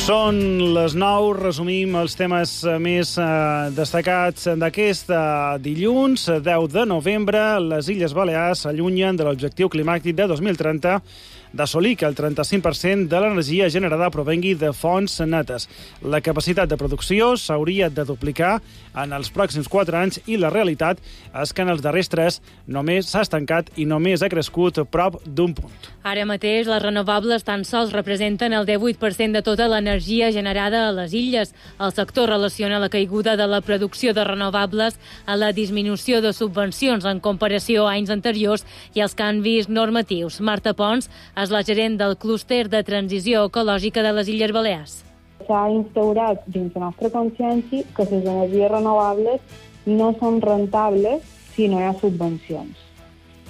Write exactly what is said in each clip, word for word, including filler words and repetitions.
Són les nou, resumim els temes més eh, destacats d'aquest eh, dilluns, deu de novembre. Les Illes Balears s'allunyen de l'objectiu climàtic de dos mil trenta d'assolir que el trenta-cinc per cent de l'energia generada provengui de fonts netes. La capacitat de producció s'hauria de duplicar en els pròxims quatre anys i la realitat és que en els darrers tres només s'ha estancat i només ha crescut prop d'un punt. Ara mateix les renovables tan sols representen el divuit per cent de tota l'energia generada a les illes. El sector relaciona la caiguda de la producció de renovables a la disminució de subvencions en comparació a anys anteriors i als canvis normatius. Marta Pons és la gerent del clúster de transició ecològica de les Illes Balears. S'ha instaurat dins la nostra consciència que les energies renovables no són rentables si no hi ha subvencions.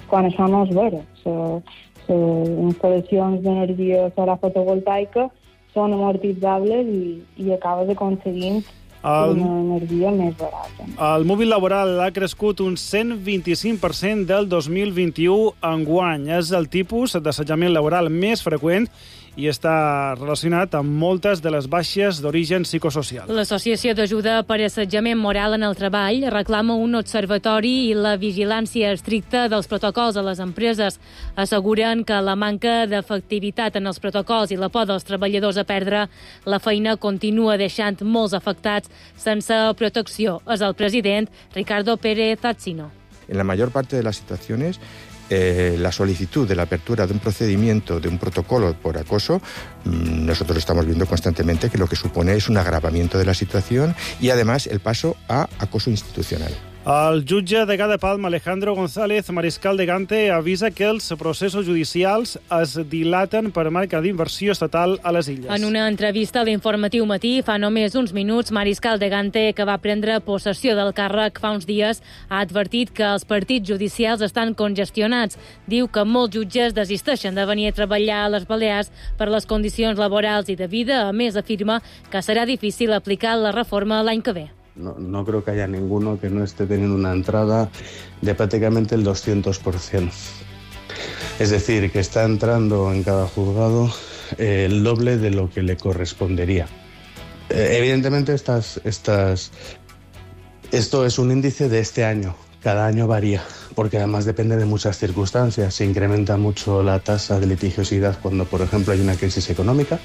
Quan això no és vera. Les instal·lacions d'energia solar fotovoltaica són amortitzables i, i acabes aconseguint el... una energia més barata. El mòbil laboral ha crescut un cent vint-i-cinc per cent del dos mil vint-i-u enguany. És el tipus d'assetjament laboral més freqüent i està relacionat amb moltes de les baixes d'origen psicosocial. L'Associació d'Ajuda per Assetjament Moral en el Treball reclama un observatori i la vigilància estricta dels protocols a les empreses. Asseguren que la manca d'efectivitat en els protocols i la por dels treballadors a perdre la feina continua deixant molts afectats sense protecció. És el president Ricardo Pérez Tazzino. En la mayor parte de las situaciones, Eh, la solicitud de la apertura de un procedimiento, de un protocolo por acoso, mmm, nosotros estamos viendo constantemente que lo que supone es un agravamiento de la situación y además el paso a acoso institucional. El jutge degà de Palma, Alejandro González Mariscal de Gante, avisa que els processos judicials es dilaten per manca d'inversió estatal a les illes. En una entrevista a l'Informatiu Matí fa només uns minuts, Mariscal de Gante, que va prendre possessió del càrrec fa uns dies, ha advertit que els partits judicials estan congestionats. Diu que molts jutges desisteixen de venir a treballar a les Balears per les condicions laborals i de vida. A més, afirma que serà difícil aplicar la reforma l'any que ve. No, no creo que haya ninguno que no esté teniendo una entrada de prácticamente el doscientos por ciento. Es decir, que está entrando en cada juzgado eh, el doble de lo que le correspondería. Eh, evidentemente, estas, estas, esto es un índice de este año. Cada año varía, porque además depende de muchas circunstancias. Se incrementa mucho la tasa de litigiosidad cuando, por ejemplo, hay una crisis económica.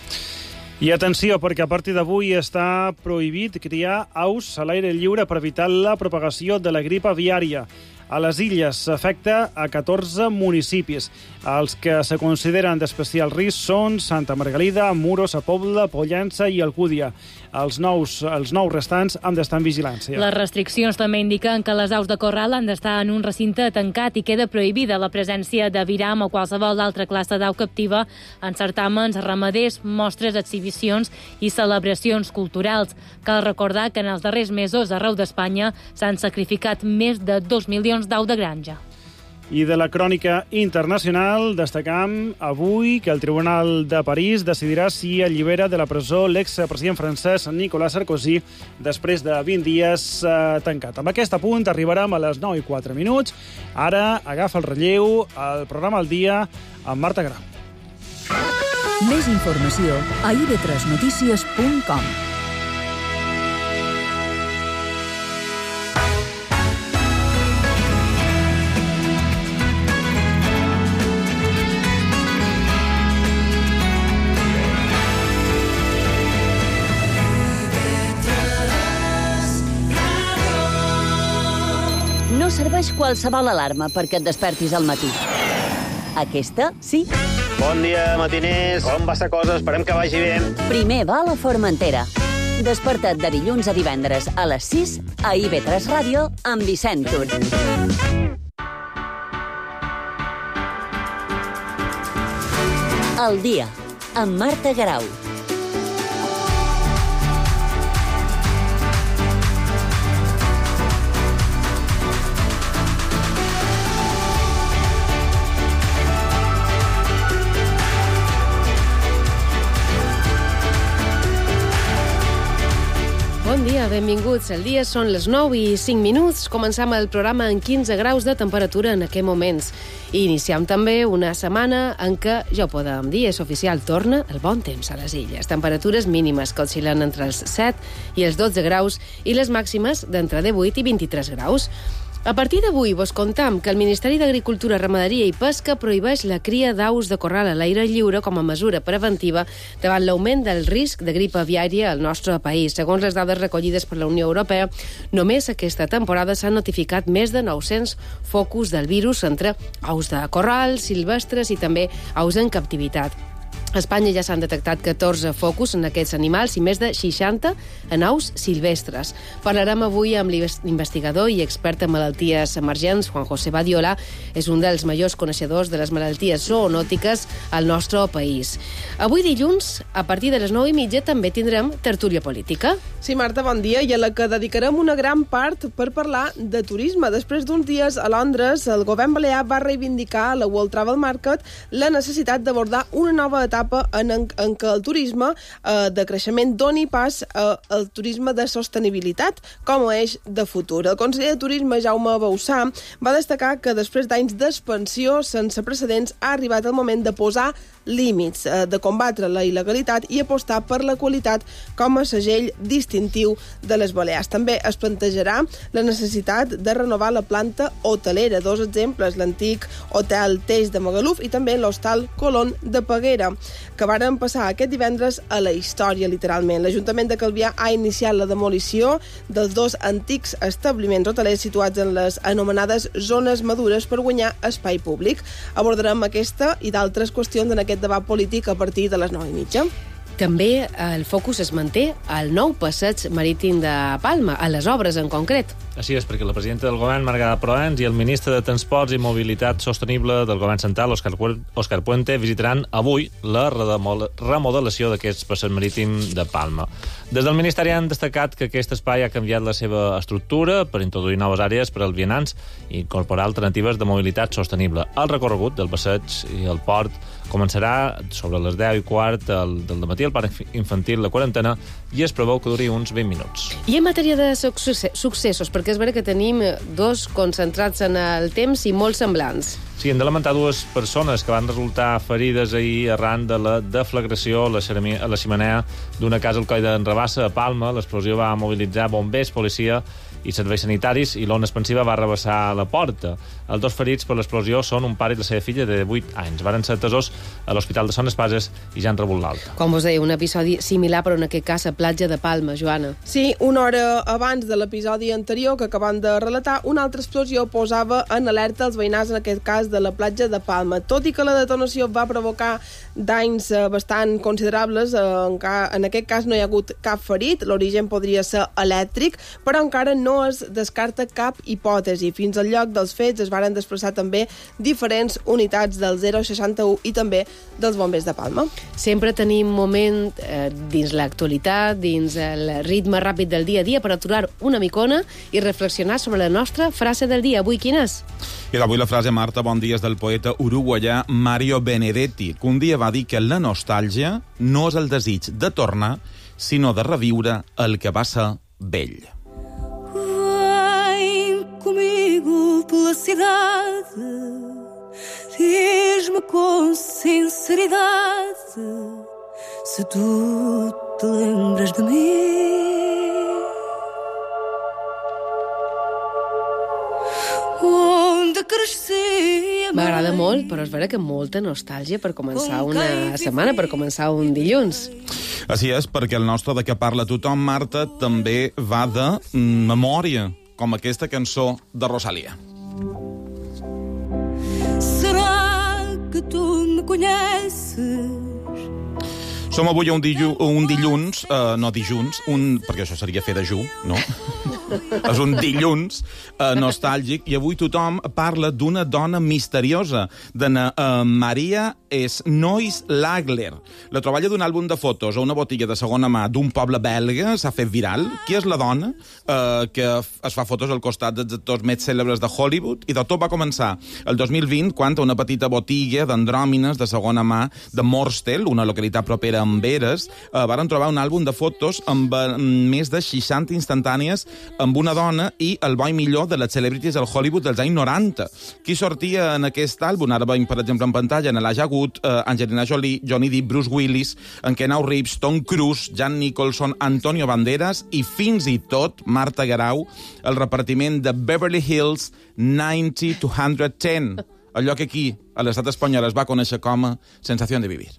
I atenció, perquè a partir d'avui està prohibit criar aus a l'aire lliure per evitar la propagació de la grip aviària. A les illes s'afecta a catorze municipis. Els que se consideren d'especial risc són Santa Margalida, Muros, a Pobla, Pollença i Alcúdia. Els nous, els nous restants han d'estar en vigilància. Les restriccions també indiquen que les aus de corral han d'estar en un recinte tancat i queda prohibida la presència d'aviram o qualsevol altra classe d'au captiva en certàmens ramaders, mostres, exhibicions i celebracions culturals. Cal recordar que en els darrers mesos arreu d'Espanya s'han sacrificat més de dos milions d'au de granja. I de la crònica internacional destacam avui que el Tribunal de París decidirà si allibera de la presó l'expresident francès Nicolas Sarkozy després de vint dies eh, tancat. Amb aquest apunt arribarem a les nou i quatre minuts. Ara agafa el relleu al programa al dia amb Marta Grau. Més informació a i ve tres notícies punt com. No serveix qualsevol alarma perquè et despertis al matí. Aquesta, sí. Bon dia, matiners. Com va la cosa? Esperem que vagi bé. Primer va a la Formentera. Desperta't de dilluns a divendres a les sis a i ve tres Ràdio amb Vicent Tur. El dia, amb Marta Grau. Bon dia, benvinguts. El dia són les nou i cinc minuts. Començam el programa en quinze graus de temperatura en aquests moments. I iniciem també una setmana en què, ja ho podem dir, és oficial, torna el bon temps a les illes. Temperatures mínimes que oscil·len entre els set i els dotze graus i les màximes d'entre divuit i vint-i-tres graus. A partir d'avui vos contam que el Ministeri d'Agricultura, Ramaderia i Pesca prohibeix la cria d'aus de corral a l'aire lliure com a mesura preventiva davant l'augment del risc de grip aviària al nostre país. Segons les dades recollides per la Unió Europea, només aquesta temporada s'han notificat més de nou-cents focus del virus entre aus de corral, silvestres i també aus en captivitat. A Espanya ja s'han detectat catorze focus en aquests animals i més de seixanta en aus silvestres. Parlarem avui amb l'investigador i expert en malalties emergents, Juan José Badiola. És un dels majors coneixedors de les malalties zoonòtiques al nostre país. Avui dilluns, a partir de les nou i mitja, també tindrem tertúlia política. Sí, Marta, bon dia, i a la que dedicarem una gran part per parlar de turisme. Després d'uns dies a Londres, el govern balear va reivindicar a la World Travel Market la necessitat d'abordar una nova etapa En, en, en què el turisme eh, de creixement doni pas eh, al turisme de sostenibilitat com a eix de futur. El conseller de Turisme, Jaume Bauçà, va destacar que després d'anys d'expansió sense precedents ha arribat el moment de posar límits, eh, de combatre la il·legalitat i apostar per la qualitat com a segell distintiu de les Balears. També es plantejarà la necessitat de renovar la planta hotelera. Dos exemples, l'antic hotel Teix de Magaluf i també l'hostal Colón de Peguera, que varen passar aquest divendres a la història, literalment. L'Ajuntament de Calvià ha iniciat la demolició dels dos antics establiments hotelers situats en les anomenades zones madures per guanyar espai públic. Abordarem aquesta i d'altres qüestions en aquest debat polític a partir de les nou i mitja. També el focus es manté al nou passeig marítim de Palma, a les obres en concret. Així és, perquè la presidenta del govern, Margarida Proens, i el ministre de Transports i Mobilitat Sostenible del govern central, Òscar Òscar Puente, visitaran avui la remodelació d'aquest passeig marítim de Palma. Des del Ministeri han destacat que aquest espai ha canviat la seva estructura per introduir noves àrees per als vianants i incorporar alternatives de mobilitat sostenible. El recorregut del passeig i el port començarà sobre les deu i quart del, del matí al parc infantil La Quarantena i es preveu que duri uns vint minuts. I en matèria de successos, perquè és vera que tenim dos concentrats en el temps i molt semblants. Sí, hem de lamentar dues persones que van resultar ferides ahir arran de la deflagració a la, a la xemeneia d'una casa al coll d'en Rabassa, a Palma. L'explosió va mobilitzar bombers, policia i serveis sanitaris i l'ona expansiva va rebassar la porta. Els dos ferits per l'explosió són un pare i la seva filla de vuit anys. Varen ser atesos a l'Hospital de Son Espases i ja han rebut l'alta. Com vos deia, un episodi similar, però en aquest cas a platja de Palma, Joana. Sí, una hora abans de l'episodi anterior que acabam de relatar, una altra explosió posava en alerta els veïnats, en aquest cas de la platja de Palma. Tot i que la detonació va provocar danys bastant considerables, en, ca... en aquest cas no hi ha hagut cap ferit, l'origen podria ser elèctric, però encara no es descarta cap hipòtesi. Fins al lloc dels fets es varen desplaçar també diferents unitats del zero seixanta u i també dels bombers de Palma. Sempre tenim moment eh, dins l'actualitat, dins el ritme ràpid del dia a dia per aturar una micona i reflexionar sobre la nostra frase del dia. Avui quina és? I avui la frase, Marta, bon dia, és del poeta uruguaià Mario Benedetti, que un dia va dir que la nostàlgia no és el desig de tornar, sinó de reviure el que va ser vell. Comigo pela cidade, diz-me com sinceridade se tu te lembras de mim. Onde cresci. M'agrada molt, però és vera que molta nostàlgia per començar una setmana, per començar un dilluns. Així és, perquè el nostre De què parla tothom, Marta, també va de memòria, com aquesta cançó de Rosalía. Será que tu me conheces? Som avui un, dillu, un dilluns, uh, no dilluns, un, perquè això seria fer dejú, no? És un dilluns uh, nostàlgic, i avui tothom parla d'una dona misteriosa, de uh, Maria Snoys Lagler. La troballa d'un àlbum de fotos a una botiga de segona mà d'un poble belga s'ha fet viral. Qui és la dona uh, que es fa fotos al costat dels actors més cèlebres de Hollywood? I de tot va començar el dos mil vint, quan a una petita botiga d'andròmines de segona mà de Morstel, una localitat propera a Amberes, uh, varen trobar un àlbum de fotos amb uh, més de seixanta instantànies amb una dona i el bo i millor de les celebrities del Hollywood dels anys noranta. Qui sortia en aquest àlbum? Ara veiem, per exemple, en pantalla, en Elijah Wood, eh, Angelina Jolie, Johnny Depp, Bruce Willis, en Keanu Reeves, Tom Cruise, Jan Nicholson, Antonio Banderas i fins i tot Marta Garau, el repartiment de Beverly Hills noranta to one ten, allò que aquí, a l'estat espanyol, es va conèixer com a Sensación de Vivir.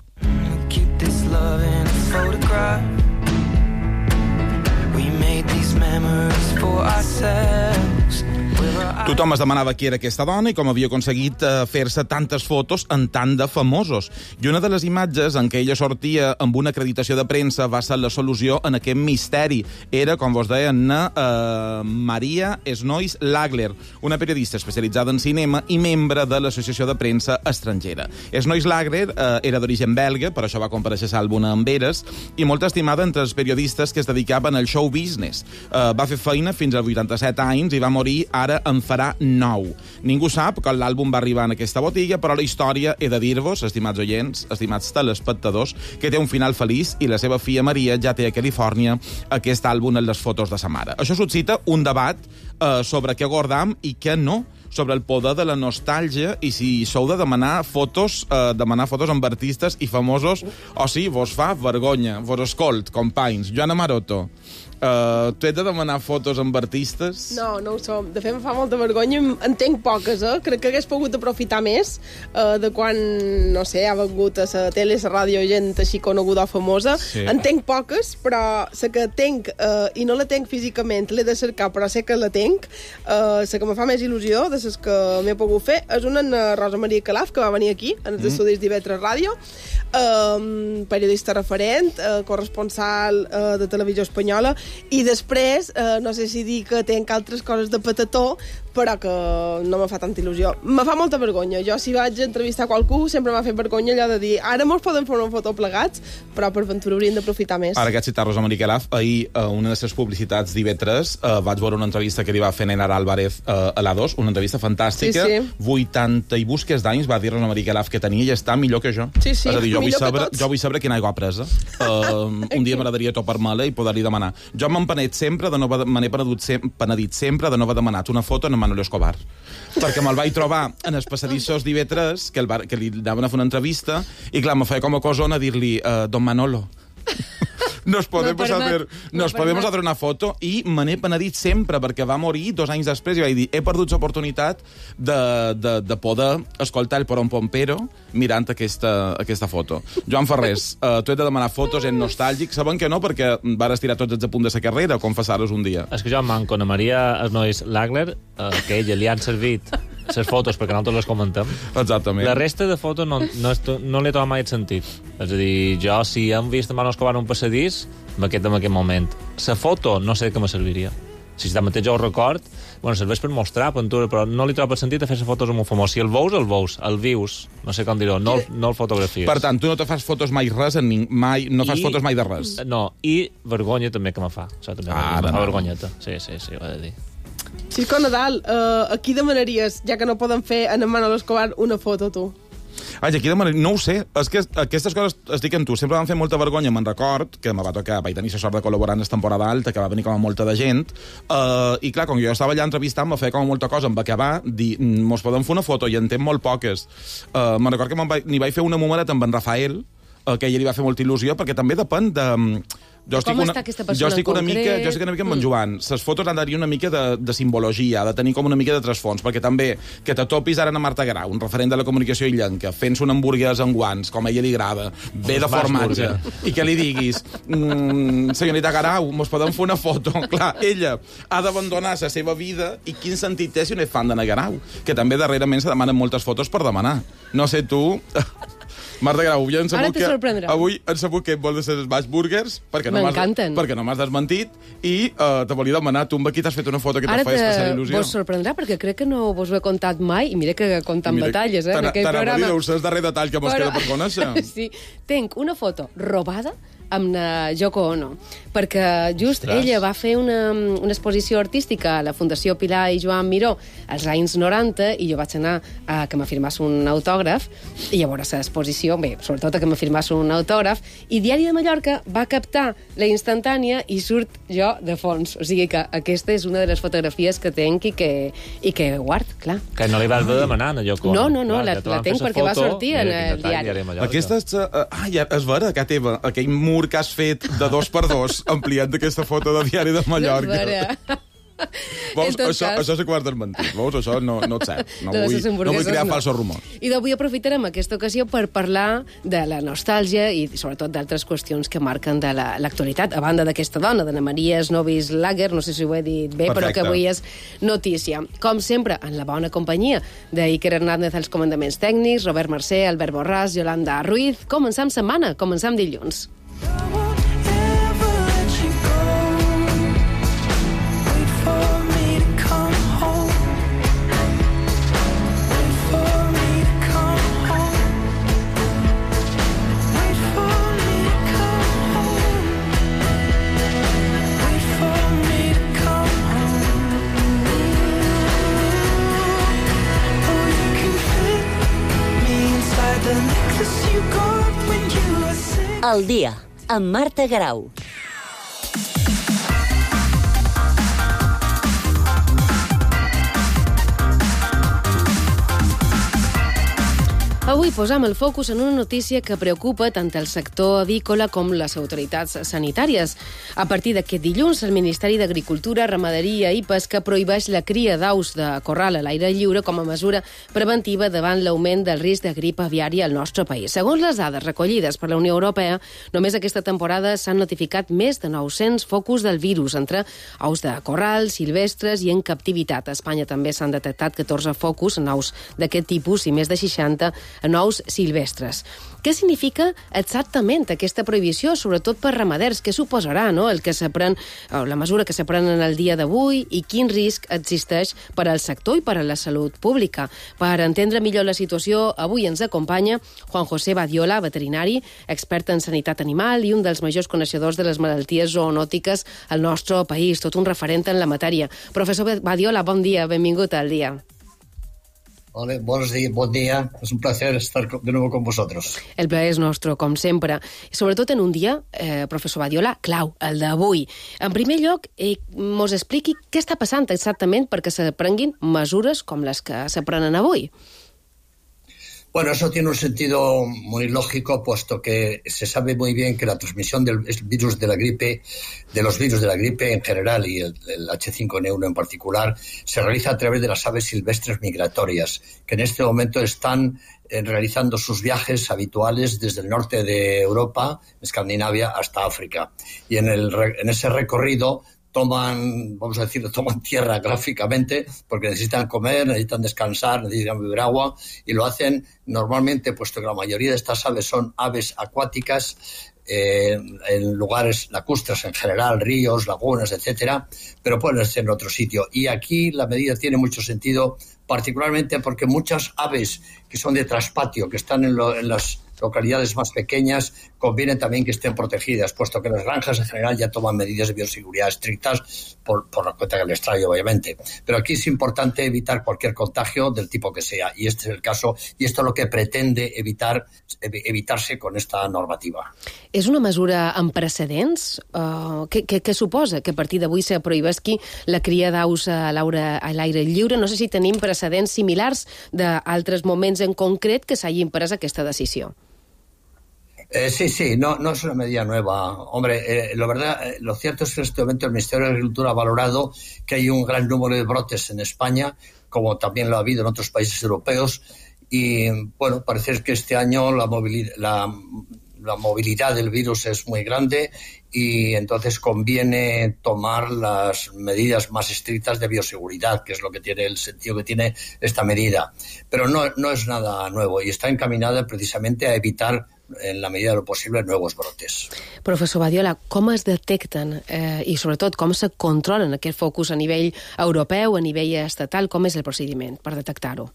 Keep this love in a photograph. We made these memories for ourselves. Tothom es demanava qui era aquesta dona i com havia aconseguit eh, fer-se tantes fotos en tant de famosos. I una de les imatges en què ella sortia amb una acreditació de premsa va ser la solució en aquest misteri. Era, com vos deia, na, eh, Maria Snois Lagler, una periodista especialitzada en cinema i membre de l'Associació de Premsa Estrangera. Snois Lagler eh, era d'origen belga, per això va comparèixer l'àlbum amb Eres, i molt estimada entre els periodistes que es dedicaven al show business. Eh, va fer feina fins als vuitanta-set anys i va morir ara en farà nou. Ningú sap quan l'àlbum va arribar en aquesta botiga, però la història he de dir-vos, estimats oients, estimats telespectadors, que té un final feliç i la seva filla Maria ja té a Califòrnia aquest àlbum en les fotos de sa mare. Això suscita un debat eh, sobre què guardam i què no, sobre el poder de la nostàlgia i si sou de demanar fotos, eh, demanar fotos amb artistes i famosos, o si vos fa vergonya, vos escolt, companys. Joana Maroto, Uh, tu ets de demanar fotos amb artistes? No, no ho som. De fet, em fa molta vergonya. En tenc poques, eh? Crec que hagués pogut aprofitar més uh, de quan, no sé, ha vengut a la tele, a la ràdio, gent així coneguda o famosa. Sí. En tenc poques, però la que tenc, uh, i no la tenc físicament, l'he de cercar, però sé que la tenc. La uh, que me fa més il·lusió de les que m'he pogut fer és una en Rosa Maria Calaf, que va venir aquí, en els mm. estudis d'I V tres Ràdio, uh, periodista referent, uh, corresponsal uh, de televisió espanyola. I després, eh, no sé si dir que tenc altres coses de petató, però que no me fa tanta il·lusió. Me fa molta vergonya. Jo, si vaig entrevistar qualcú, sempre m'ha fet vergonya allò de dir ara mos podem fer una foto plegats, però per ventura hauríem d'aprofitar més. Ara que has citat Rosa Maria Calaf, ahir, a una de les publicitats d'I V tres, eh, vaig veure una entrevista que li va fer Nenara Álvarez eh, a l'A dos, una entrevista fantàstica. Sí, sí. vuitanta i busques d'anys va dir Rosa Maria Calaf que tenia i està millor que jo. Sí, sí, és a dir, jo vull millor saber, que tots. jo vull saber quina aigua ha presa. Uh, un dia m'agradaria topar-me-la i poder-li demanar. Jo m'he penedit sempre de no haver, me n'he penedit, sem penedit sempre de no haver demanat una foto en Manolo Escobar. Perquè me'l vaig trobar en els passadissos d'I V tres, que, el va, que li anaven a fer una entrevista, i clar, me feia com a cosona dir-li uh, Don Manolo, nos podemos, no hacer, nos no podemos hacer una foto, i me n'he penedit sempre, perquè va morir dos anys després i vaig dir, he perdut l'oportunitat de, de, de poder escoltar el Porón Pompero mirant aquesta, aquesta foto. Joan Ferrés, uh, tu ets de demanar fotos en nostàlgic, saben que no, perquè vas estirar tots els apunts de sa carrera, confessar-los un dia. És que jo em manco a Maria Snois Lagler, uh, que a ella li han servit les fotos perquè nosaltres les comentem. Exactament. La resta de fotos no, no, no l'he trobat mai el sentit. És a dir, jo, si hem vist Manolo Escobar en un passadís, m'aquest en aquest moment. La foto no sé de què me serviria. Si de mateix jo ho record, bueno, serveix per mostrar pintura, però no li trobo el sentit de fer-se fotos amb un famós. Si el veus, el veus. El vius, no sé com dir-ho, no, no el fotografies. Per tant, tu no te fas fotos mai res, en ning... mai, no fas I, fotos mai de res. No, i vergonya també que me fa. Això també ah, me fa no. vergonyeta. Sí, sí, sí, ho he de dir. Xisco Nadal, uh, a qui demanaries, ja que no poden fer en Manolo Escobar, una foto, tu? Ai, aquí demanaria... No ho sé. És que aquestes coses, estic amb tu, sempre van fer molta vergonya. Me'n record que me va tocar, vaig tenir la sort de col·laborar en la temporada alta, que va venir com a molta de gent, uh, i clar, com jo estava allà entrevistant, me feia com a molta cosa, em va acabar, dir, mos podem fer una foto, i en tem molt poques. Uh, me'n record que me'n vaig, n'hi vaig fer una numeret amb en Rafael, uh, que a ell li va fer molta il·lusió, perquè també depèn de... Jo estic, una, jo estic una mica, jo estic una mica amb en Joan. Les fotos han d'haver una mica de, de simbologia, ha de tenir com una mica de trasfons, perquè també que te topis ara a Marta Garau, un referent de la comunicació illenca, fent-se una hamburguesa amb guants, com a ella li agrada, bé de formatge, i que li diguis, mmm, senyorita Garau, mos podem fer una foto? Clar, ella ha d'abandonar la seva vida, i quin sentit té si no és fan d'Anna Garau? Que també darrerament se demanen moltes fotos per demanar. No sé tu... Marta Grau, avui hem sabut que, avui hem sabut que vols ser els burgers perquè no m'has desmentit i uh, te volia demanar, tu amb aquí t'has fet una foto que te fa especial il·lusió. Ara vos sorprendrà perquè crec que no vos ho he contat mai i mira que comptant batalles, eh, en aquell programa. T'anava a dir, és el darrer detall que mos queda per conèixer. Sí, tenc una foto robada amb la Yoko Ono, perquè just Ostres. ella va fer una, una exposició artística a la Fundació Pilar i Joan Miró als anys noranta i jo vaig anar a que m'afirmàs un autògraf i llavors l'exposició, bé, sobretot a que m'afirmàs un autògraf, i Diari de Mallorca va captar la instantània i surt jo de fons. O sigui que aquesta és una de les fotografies que tenc i que, i que guard, clar. Que no li vas de demanar, a Yoko Ono. No, no, no, Clar, la, ja te la van tenc fer perquè va foto, sortir mira en quin el detall, diari. Diari de Mallorca. Aquesta és... Uh, ah, ja, és vera, que teva, aquell mur que has fet de dos per dos, ampliat d'aquesta foto de Diari de Mallorca. No és vera. Veus, En tot això, cas- això és quart desmentit, veus? Això no, no és cert. No, De les vull, no vull hamburgueses, crear no. falsos rumors. I d'avui aprofitarem aquesta ocasió per parlar de la nostàlgia i sobretot d'altres qüestions que marquen de la- l'actualitat, a banda d'aquesta dona, d'Anna Maria Snovis Lager, no sé si ho he dit bé, Perfecte. però que avui és notícia. Com sempre, en la bona companyia d'Iker Hernández als comandaments tècnics, Robert Mercè, Albert Borràs, Yolanda Ruiz. Començam setmana, començam dilluns. El dia, amb Marta Grau. Avui posam el focus en una notícia que preocupa tant el sector avícola com les autoritats sanitàries. A partir d'aquest dilluns, el Ministeri d'Agricultura, Ramaderia i Pesca prohibeix la cria d'aus de corral a l'aire lliure com a mesura preventiva davant l'augment del risc de grip aviària al nostre país. Segons les dades recollides per la Unió Europea, només aquesta temporada s'han notificat més de nou-cents focus del virus entre aus de corral, silvestres i en captivitat. A Espanya també s'han detectat catorze focus en aus d'aquest tipus i més de seixanta en ous silvestres. Què significa exactament aquesta prohibició, sobretot per ramaders? Què suposarà, no?, el que s'aprèn, la mesura que s'aprèn en el dia d'avui i quin risc existeix per al sector i per a la salut pública? Per entendre millor la situació, avui ens acompanya Juan José Badiola, veterinari, expert en sanitat animal i un dels majors coneixedors de les malalties zoonòtiques al nostre país, tot un referent en la matèria. Professor Badiola, bon dia, benvingut al dia. Vale, buenos días, buen día. Es un placer estar de nuevo con vosotros. El plaer és nostre, com sempre. I sobretot en un dia, eh, professor Badiola, clau, el d'avui. En primer lloc, eh, mos expliqui què està passant exactament perquè s'aprenguin mesures com les que s'aprenen avui. Bueno, eso tiene un sentido muy lógico, puesto que se sabe muy bien que la transmisión del virus de la gripe, de los virus de la gripe en general y el, el H cinco N uno en particular, se realiza a través de las aves silvestres migratorias, que en este momento están eh, realizando sus viajes habituales desde el norte de Europa, Escandinavia, hasta África. Y en, el, en ese recorrido toman, vamos a decirlo, toman tierra gráficamente porque necesitan comer, necesitan descansar, necesitan beber agua y lo hacen normalmente, puesto que la mayoría de estas aves son aves acuáticas, eh, en lugares lacustres en general, ríos, lagunas, etcétera, pero pueden ser en otro sitio. Y aquí la medida tiene mucho sentido, particularmente porque muchas aves que son de traspatio, que están en, lo, en las localidades más pequeñas, conviene también que estén protegidas, puesto que las granjas en general ya toman medidas de bioseguridad estrictas por, por la cuenta que les trae, obviamente. Pero aquí es importante evitar cualquier contagio del tipo que sea, y este es el caso, y esto es lo que pretende evitar, evitarse con esta normativa. És una mesura amb precedents? Uh, què, què, què suposa que a partir d'avui se prohibesqui la cria d'aus a l'aire lliure? No sé si tenim precedents similars d'altres moments en concret que s'hagin pres aquesta decisió. Eh, sí, sí, no, no es una medida nueva. Hombre, eh, lo verdad, eh, lo cierto es que en este momento el Ministerio de Agricultura ha valorado que hay un gran número de brotes en España, como también lo ha habido en otros países europeos, y bueno, parece que este año la movilidad, la, la movilidad del virus es muy grande y entonces conviene tomar las medidas más estrictas de bioseguridad, que es lo que tiene el sentido que tiene esta medida. Pero no, no es nada nuevo y está encaminada precisamente a evitar, en la medida de lo posible, nuevos brotes. Professor Badiola, com es detecten eh, i sobretot com se controlen aquest focus a nivell europeu, a nivell estatal? Com és el procediment per detectar-ho?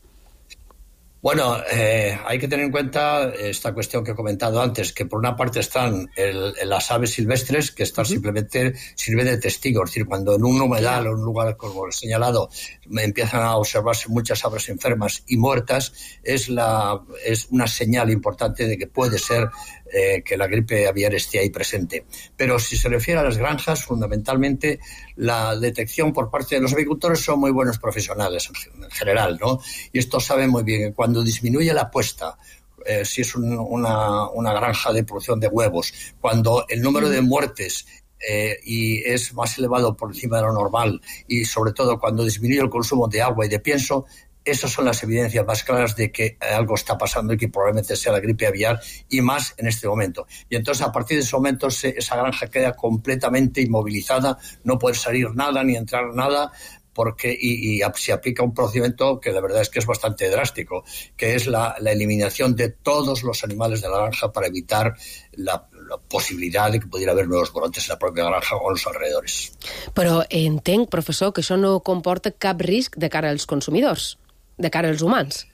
Bueno, eh, hay que tener en cuenta esta cuestión que he comentado antes, que por una parte están el, las aves silvestres, que están uh-huh. simplemente sirven de testigo. Es decir, cuando en un humedal o en un lugar, como he señalado, empiezan a observarse muchas aves enfermas y muertas, es, la, es una señal importante de que puede ser eh, que la gripe aviar esté ahí presente. Pero si se refiere a las granjas, fundamentalmente la detección por parte de los avicultores son muy buenos profesionales en general, ¿no? Y estos saben muy bien que cuando disminuye la puesta, eh, si es un, una, una granja de producción de huevos, cuando el número de muertes eh, y es más elevado por encima de lo normal y sobre todo cuando disminuye el consumo de agua y de pienso, esas son las evidencias más claras de que algo está pasando y que probablemente sea la gripe aviar y más en este momento. Y entonces a partir de ese momento se, esa granja queda completamente inmovilizada, no puede salir nada ni entrar nada, porque y, y se aplica un procedimiento que la verdad es que es bastante drástico, que es la, la eliminación de todos los animales de la granja para evitar la, la posibilitat de que pudiera haver nuevos brotes en la pròpia granja o en els alrededores. Però entenc, professor, que això no comporta cap risc de cara als consumidors, de cara als humans.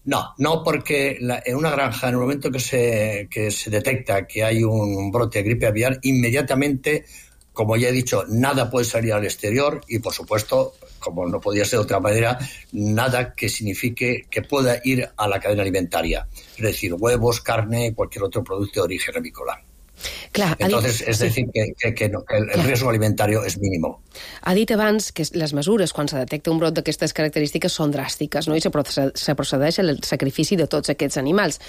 No, no, porque la, en una granja, en el momento que se, que se detecta que hay un brote de gripe aviar, inmediatamente, como ya he dicho, nada puede salir al exterior y, por supuesto, como no podía ser de otra manera, nada que signifique que pueda ir a la cadena alimentaria. Es decir, huevos, carne, cualquier otro producto de origen avícola. Clar, Entonces, dit... es decir, que, que, que, no, que el, el riesgo alimentario es mínimo. Ha dit abans que les mesures, quan se detecta un brot d'aquestes característiques, són dràstiques, no? I se procedeix al sacrifici de tots aquests animals.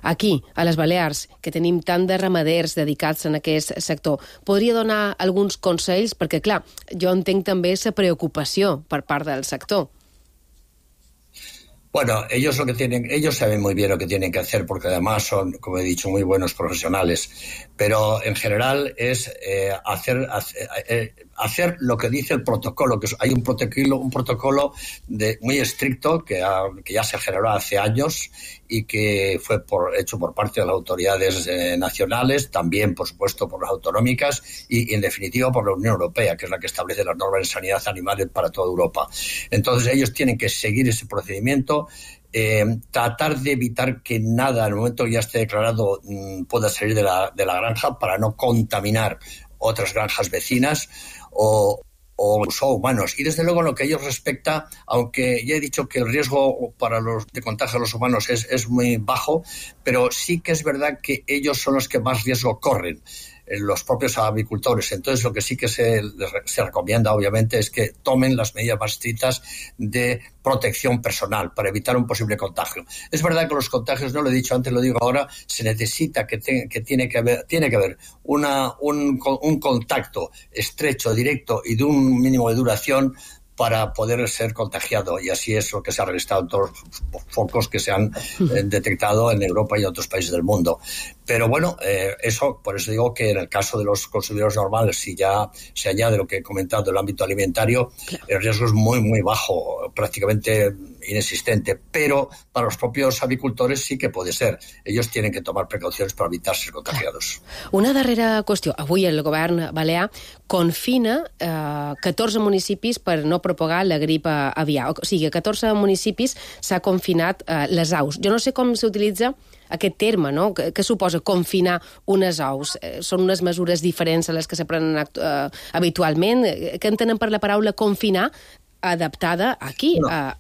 Aquí, a les Balears, que tenim tant de ramaders dedicats en aquest sector, podria donar alguns consells? Perquè, clar, jo entenc també la preocupació per part del sector. Bueno, ellos lo que tienen, ellos saben muy bien lo que tienen que hacer porque además son, como he dicho, muy buenos profesionales. Pero en general es eh, hacer, hacer, eh, hacer lo que dice el protocolo, que hay un protocolo, un protocolo de, muy estricto que, ha, que ya se generó hace años y que fue por, hecho por parte de las autoridades eh, nacionales, también, por supuesto, por las autonómicas y, y, en definitiva, por la Unión Europea, que es la que establece las normas de sanidad animal para toda Europa. Entonces, ellos tienen que seguir ese procedimiento, eh, tratar de evitar que nada, en el momento que ya esté declarado, mmm, pueda salir de la, de la granja para no contaminar otras granjas vecinas o o humanos. Y desde luego en lo que a ellos respecta, aunque ya he dicho que el riesgo para los de contagio a los humanos es, es muy bajo, pero sí que es verdad que ellos son los que más riesgo corren, los propios avicultores. Entonces lo que sí que se, se recomienda obviamente es que tomen las medidas más estrictas de protección personal para evitar un posible contagio. Es verdad que los contagios, no lo he dicho antes, lo digo ahora, se necesita que, te, que tiene que haber, tiene que haber una, un, un contacto estrecho, directo y de un mínimo de duración para poder ser contagiado, y así es lo que se ha registrado en todos los focos que se han eh, detectado en Europa y en otros países del mundo. Pero bueno, eh, eso, por eso digo que en el caso de los consumidores normales, si ya se añade lo que he comentado del ámbito alimentario, el riesgo es muy, muy bajo, prácticamente inexistente, pero para los propios avicultores sí que puede ser. Ellos tienen que tomar precauciones para evitar ser contagiados. Una darrera qüestió. Avui el govern balear confina eh, catorze municipis per no propagar la grip aviar. O sigui, a catorze municipis s'ha confinat eh, les aus. Jo no sé com s'utilitza aquest terme, no? Què suposa confinar unes aus? Eh, són unes mesures diferents a les que se prenen eh, habitualment? Què entenen per la paraula confinar adaptada aquí? No. A...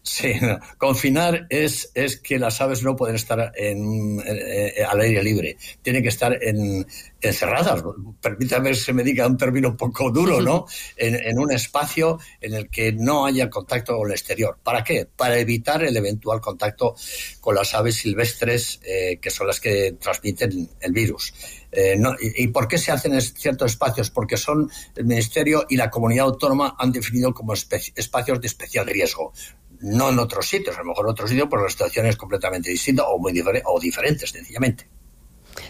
Sí, no. Confinar es, es que las aves no pueden estar en, eh, al aire libre, tienen que estar en, encerradas. Permítame que se me diga un término un poco duro, ¿no? En, en un espacio en el que no haya contacto con el exterior. ¿Para qué? Para evitar el eventual contacto con las aves silvestres, eh, que son las que transmiten el virus. Eh, no, y, ¿Y por qué se hacen en ciertos espacios? Porque son el Ministerio y la Comunidad Autónoma han definido como espe- espacios de especial riesgo. No en otros sitios, a lo mejor en otros sitios, pues la situación es completamente distinta o muy difer- o diferente, sencillamente.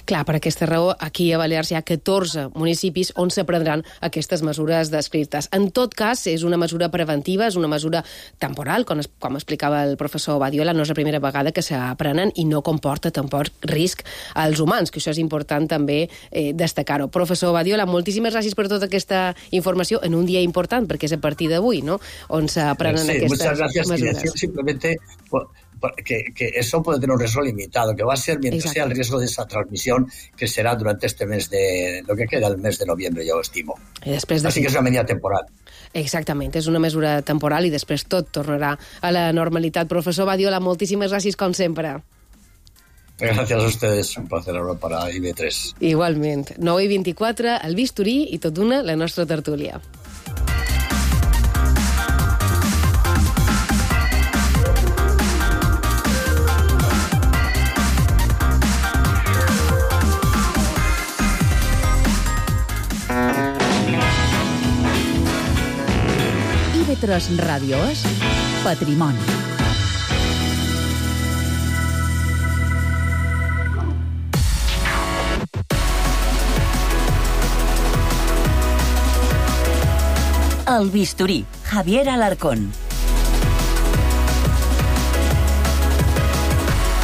Clar, per aquesta raó, aquí a Balears hi ha catorze municipis on s'aprendran aquestes mesures descrites. En tot cas, és una mesura preventiva, és una mesura temporal, com, es, com explicava el professor Badiola, no és la primera vegada que s'aprenen i no comporta tampoc risc als humans, que això és important també eh, destacar-ho. Professor Badiola, moltíssimes gràcies per tota aquesta informació en un dia important, perquè és a partir d'avui, no?, on s'aprenen sí, aquestes muchas gracias. mesures. Y simplemente que, que eso puede tener un riesgo limitado, que va a ser mientras Exacto. sea el riesgo de esa transmisión, que será durante este mes de, lo que queda el mes de noviembre, yo estimo. I després de... Así que és una medida temporal. Exactament, és una mesura temporal i després tot tornarà a la normalitat. Professor Badiola, moltíssimes gràcies com sempre. Gracias a ustedes, un placer hablar para I B tres. Igualment. nou i vint-i-quatre, el bisturí i tot d'una, la nostra tertúlia. I B tres Ràdio és Patrimoni. El bisturí, Javier Alarcón.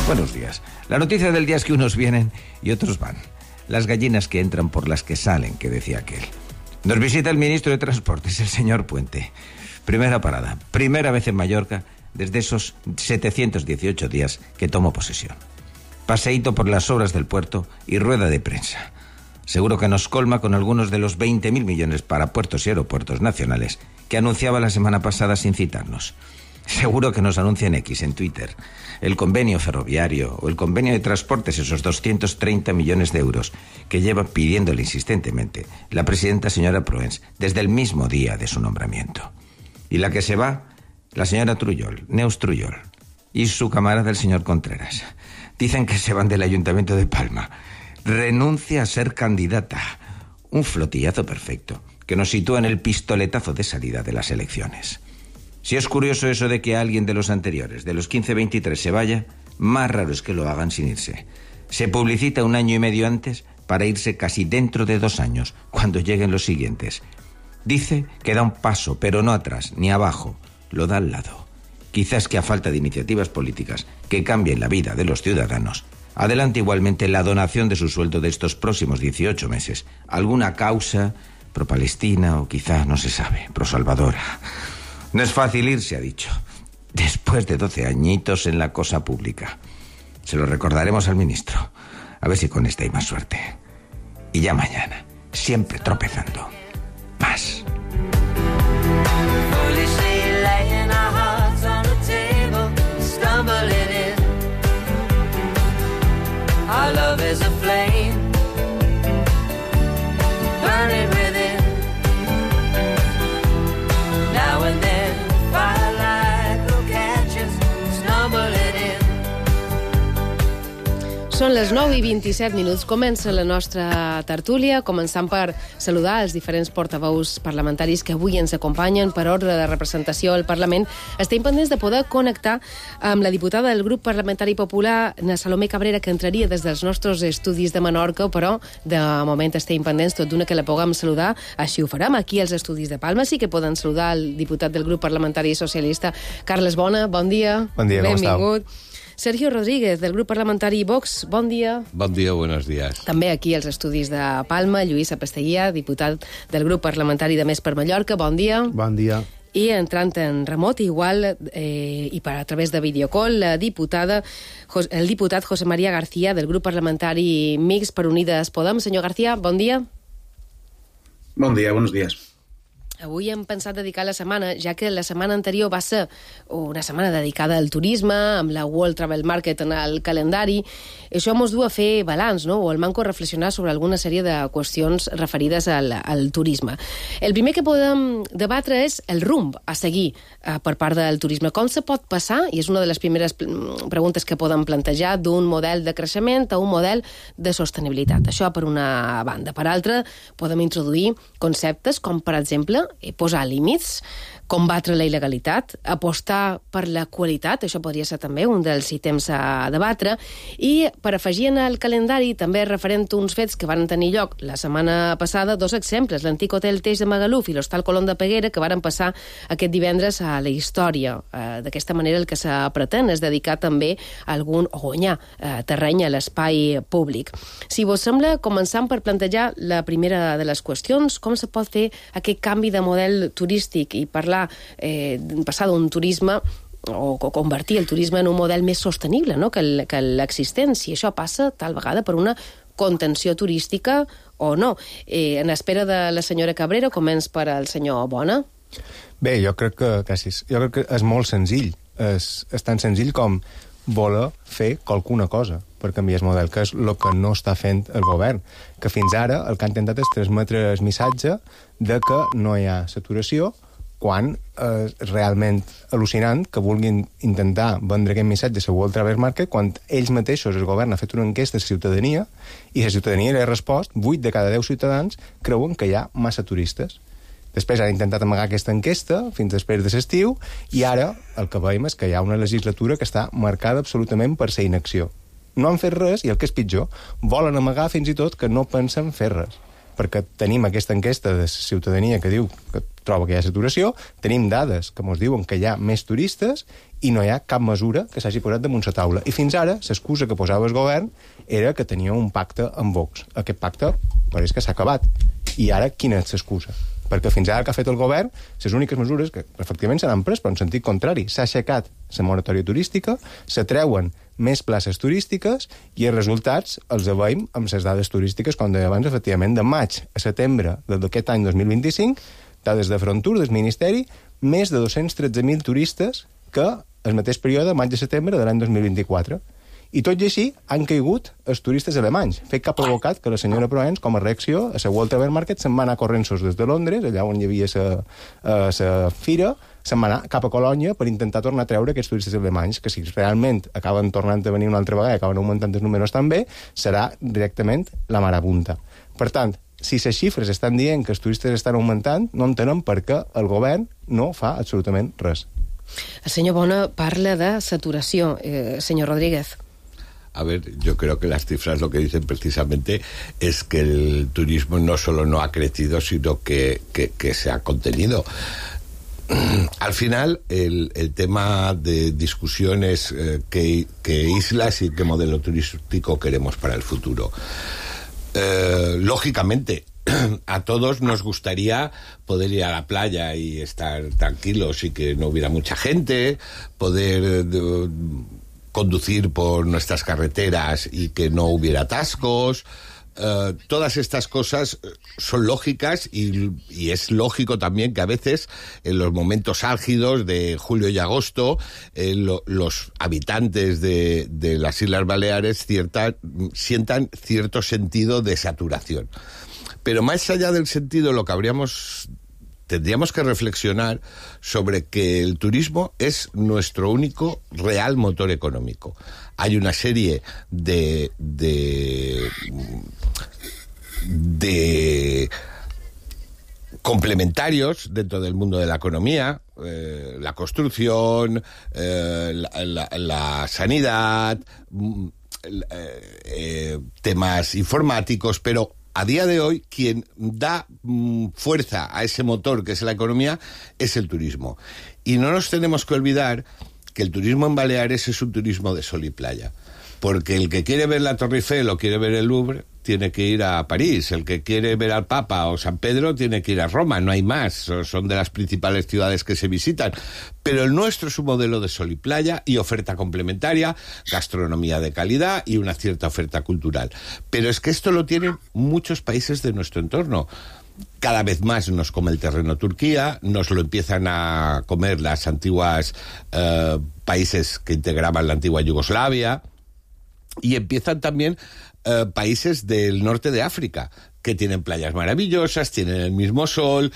Buenos días. La noticia del día es que unos vienen y otros van. Las gallinas que entran por las que salen, que decía aquel. Nos visita el ministro de Transportes, el señor Puente. Primera parada, primera vez en Mallorca desde esos setecientos dieciocho días que tomó posesión. Paseíto por las obras del puerto y rueda de prensa. Seguro que nos colma con algunos de los veinte mil millones para puertos y aeropuertos nacionales que anunciaba la semana pasada sin citarnos. Seguro que nos anuncia en X, en Twitter, el convenio ferroviario o el convenio de transportes, esos doscientos treinta millones de euros que lleva pidiéndole insistentemente la presidenta señora Proens desde el mismo día de su nombramiento. Y la que se va, la señora Trullol, Neus Trullol, y su camarada el señor Contreras. Dicen que se van del Ayuntamiento de Palma. Renuncia a ser candidata. Un flotillazo perfecto que nos sitúa en el pistoletazo de salida de las elecciones. Si es curioso eso de que alguien de los anteriores, de los quince veintitrés, se vaya, más raro es que lo hagan sin irse. Se publicita un año y medio antes para irse casi dentro de dos años, cuando lleguen los siguientes. Dice que da un paso, pero no atrás, ni abajo, lo da al lado. Quizás que a falta de iniciativas políticas que cambien la vida de los ciudadanos, adelante igualmente la donación de su sueldo de estos próximos dieciocho meses. Alguna causa pro-palestina o quizá, no se sabe, pro-salvadora. No es fácil irse, ha dicho, después de doce añitos en la cosa pública. Se lo recordaremos al ministro. A ver si con esta hay más suerte. Y ya mañana, siempre tropezando. Más. Our love is a flame, burning within. Now and then, firelight will catch us, stumbling in. Són les nou i vint-i-set minuts. Comença la nostra tertúlia, començant per saludar els diferents portaveus parlamentaris que avui ens acompanyen per ordre de representació al Parlament. Estem pendents de poder connectar amb la diputada del grup parlamentari popular, na Salomé Cabrera, que entraria des dels nostres estudis de Menorca, però de moment estem pendents tot d'una que la puguem saludar. Així ho farem aquí als estudis de Palma. Sí que poden saludar el diputat del grup parlamentari socialista, Carles Bona. Bon dia. Bon dia, com estàu? Benvingut. Sergio Rodríguez, del grup parlamentari Vox, bon dia. Bon dia, buenos días. També aquí als estudis de Palma, Lluís Apasteguia, diputat del grup parlamentari de Més per Mallorca, bon dia. Bon dia. I entrant en remot, igual, eh, i per a través de videocall, la diputada, el diputat José María García, del grup parlamentari Mix per Unides Podem. Senyor García, bon dia. Bon dia, buenos días. Avui hem pensat dedicar la setmana, ja que la setmana anterior va ser una setmana dedicada al turisme, amb la World Travel Market en el calendari. Això ens du a fer balanç, no? O al manco a reflexionar sobre alguna sèrie de qüestions referides al, al turisme. El primer que podem debatre és el rumb a seguir eh, per part del turisme. Com se pot passar, i és una de les primeres preguntes que podem plantejar, d'un model de creixement a un model de sostenibilitat. Això per una banda. Per altra, podem introduir conceptes com, per exemple, posar límits, combatre la il·legalitat, apostar per la qualitat, això podria ser també un dels ítems a debatre, i per afegir en el calendari també referent a uns fets que van tenir lloc la setmana passada, dos exemples, l'antic hotel Teix de Magaluf i l'hostal Colón de Peguera, que varen passar aquest divendres a la història. Eh, d'aquesta manera el que se pretén és dedicar també a algun, o guanyar eh, terreny a l'espai públic. Si vos sembla, començant per plantejar la primera de les qüestions, com se pot fer aquest canvi de model turístic i parlar Eh, passar d'un turisme o, o convertir el turisme en un model més sostenible, no?, que l'existent, si això passa tal vegada per una contenció turística o no. Eh, en espera de la senyora Cabrera, començ per al senyor Bona. Bé, jo crec que, gràcies, jo crec que és molt senzill. És, és tan senzill com voler fer qualcuna cosa per canviar el model, que és el que no està fent el govern, que fins ara el que ha intentat és transmetre el missatge de que no hi ha saturació, quan és eh, realment al·lucinant que vulguin intentar vendre aquest missatge a World Travel Market quan ells mateixos, el govern, ha fet una enquesta a la ciutadania i la ciutadania li ha respost, vuit de cada deu ciutadans creuen que hi ha massa turistes. Després han intentat amagar aquesta enquesta fins després de l'estiu i ara el que veiem és que hi ha una legislatura que està marcada absolutament per la inacció. No han fet res i el que és pitjor, volen amagar fins i tot que no pensen fer res. Perquè tenim aquesta enquesta de la ciutadania que diu que troba que hi ha saturació, tenim dades que ens diuen que hi ha més turistes i no hi ha cap mesura que s'hagi posat damunt la taula. I fins ara, l'excusa que posava el govern era que tenia un pacte amb Vox. Aquest pacte pareix que s'ha acabat. I ara, quina és l'excusa? Perquè fins ara el que ha fet el govern, les úniques mesures que efectivament se n'han pres, però en sentit contrari. S'ha aixecat la moratòria turística, se treuen més places turístiques i els resultats els veiem amb les dades turístiques, com deia abans, efectivament, de maig a setembre d'aquest any dos mil vint-i-cinc, dades de Frontur, del Ministeri, més de dos-cents tretze mil turistes que el mateix període, maig a setembre de l'any dos mil vint-i-quatre. I tot i així han caigut els turistes alemanys, fet que ha provocat que la senyora Proens, com a reacció, a la World Travel Market, se'n va anar corrents des de Londres, allà on hi havia la fira, se'n va anar cap a Colònia per intentar tornar a treure aquests turistes alemanys, que si realment acaben tornant a venir una altra vegada i acaben augmentant els números també, serà directament la marabunta. Per tant, si les xifres estan dient que els turistes estan augmentant, no entenen per què el govern no fa absolutament res. El senyor Bona parla de saturació. Eh, senyor Rodríguez. A ver, yo creo que las cifras lo que dicen precisamente es que el turismo no solo no ha crecido, sino que, que, que se ha contenido. Al final, el, el tema de discusión es eh, qué, qué islas y qué modelo turístico queremos para el futuro. Eh, lógicamente, a todos nos gustaría poder ir a la playa y estar tranquilos y que no hubiera mucha gente, poder de, conducir por nuestras carreteras y que no hubiera atascos. Uh, todas estas cosas son lógicas y, y es lógico también que a veces en los momentos álgidos de julio y agosto eh, lo, los habitantes de, de las Islas Baleares cierta, sientan cierto sentido de saturación. Pero más allá del sentido, lo que habríamos tendríamos que reflexionar sobre que el turismo es nuestro único real motor económico. Hay una serie de de, de complementarios dentro del mundo de la economía, eh, la construcción, eh, la, la, la sanidad, eh, eh, temas informáticos, pero a día de hoy, quien da mmm, fuerza a ese motor que es la economía es el turismo. Y no nos tenemos que olvidar que el turismo en Baleares es un turismo de sol y playa. Porque el que quiere ver la Torre Eiffel o quiere ver el Louvre tiene que ir a París. El que quiere ver al Papa o San Pedro tiene que ir a Roma. No hay más. Son de las principales ciudades que se visitan. Pero el nuestro es un modelo de sol y playa y oferta complementaria, gastronomía de calidad y una cierta oferta cultural. Pero es que esto lo tienen muchos países de nuestro entorno. Cada vez más nos come el terreno Turquía, nos lo empiezan a comer las antiguas eh, países que integraban la antigua Yugoslavia. Y empiezan también eh, países del norte de África, que tienen playas maravillosas, tienen el mismo sol.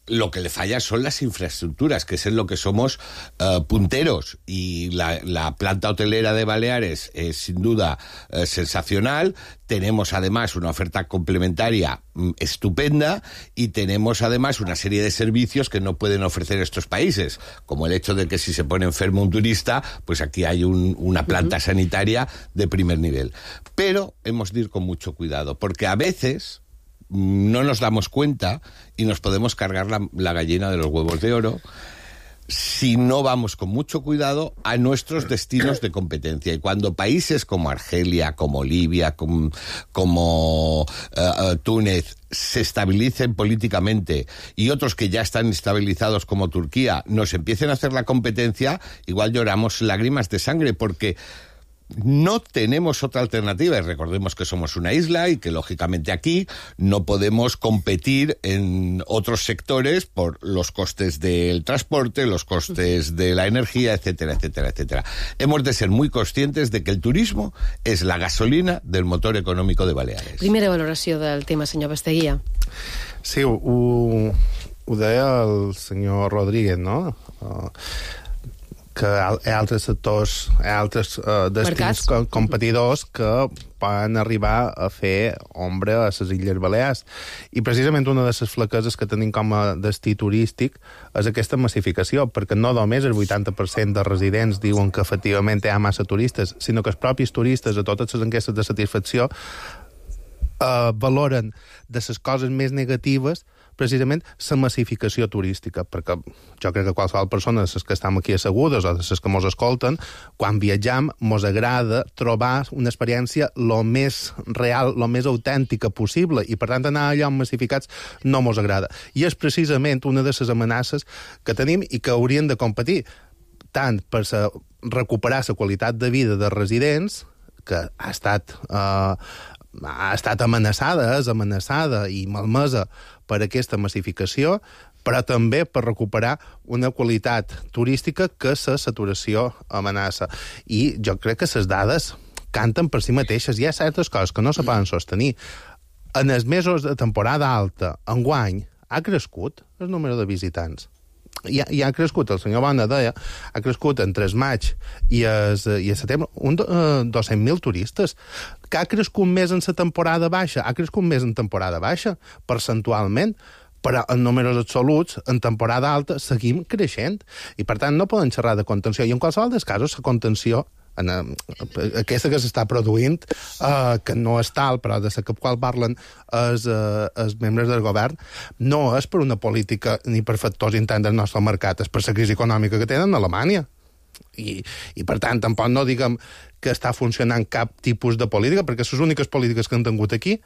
lo que le falla son las infraestructuras, que es en lo que somos uh, punteros. Y la, la planta hotelera de Baleares es sin duda uh, sensacional. Tenemos además una oferta complementaria mm, estupenda y tenemos además una serie de servicios que no pueden ofrecer estos países, como el hecho de que si se pone enfermo un turista, pues aquí hay un, una planta uh-huh. sanitaria de primer nivel. Pero hemos de ir con mucho cuidado, porque a veces no nos damos cuenta y nos podemos cargar la, la gallina de los huevos de oro si no vamos con mucho cuidado a nuestros destinos de competencia. Y cuando países como Argelia, como Libia, como, como uh, uh, Túnez se estabilicen políticamente y otros que ya están estabilizados como Turquía nos empiecen a hacer la competencia, igual lloramos lágrimas de sangre, porque no tenemos otra alternativa. Y recordemos que somos una isla y que, lógicamente, aquí no podemos competir en otros sectores por los costes del transporte, los costes de la energía, etcétera, etcétera, etcétera. Hemos de ser muy conscientes de que el turismo es la gasolina del motor económico de Baleares. Primera valoració del tema, senyor Basteguia. Sí, ho, ho deia el senyor Rodríguez, no? Uh, que hi ha altres sectors, hi ha altres uh, destins co competidors que poden arribar a fer ombra a les Illes Balears. I precisament una de les flaqueses que tenim com a destí turístic és aquesta massificació, perquè no només el vuitanta per cent de residents diuen que efectivament hi ha massa turistes, sinó que els propis turistes a totes les enquestes de satisfacció uh, valoren de les coses més negatives precisament la massificació turística, perquè jo crec que qualsevol persona, les que estem aquí assegudes o les que mos escolten, quan viatjam mos agrada trobar una experiència lo més real, lo més autèntica possible, i per tant anar a llocs massificats no mos agrada. I és precisament una de les amenaces que tenim i que haurien de competir tant per sa, recuperar la qualitat de vida de residents, que ha estat... Eh, ha estat amenaçada, és amenaçada i malmesa per aquesta massificació, però també per recuperar una qualitat turística que la saturació amenaça. I jo crec que les dades canten per si mateixes. Hi ha certes coses que no se poden sostenir. En els mesos de temporada alta, enguany, ha crescut el número de visitants. I ha, i ha crescut, el senyor Bona deia, ha crescut entre el maig i el, i el setembre un uh, dos-cents mil turistes, que ha crescut més en la temporada baixa, ha crescut més en temporada baixa, percentualment, però en números absoluts, en temporada alta, seguim creixent. I, per tant, no poden xerrar de contenció. I en qualsevol dels casos, la contenció, en, uh, aquesta que s'està produint, uh, que no és tal, però de la que qual parlen els, uh, els membres del govern, no és per una política ni per factors interns del nostre mercat, és per la crisi econòmica que tenen a Alemanya. I, i per tant, tampoc no diguem que està funcionant cap tipus de política, perquè les úniques polítiques que han tingut aquí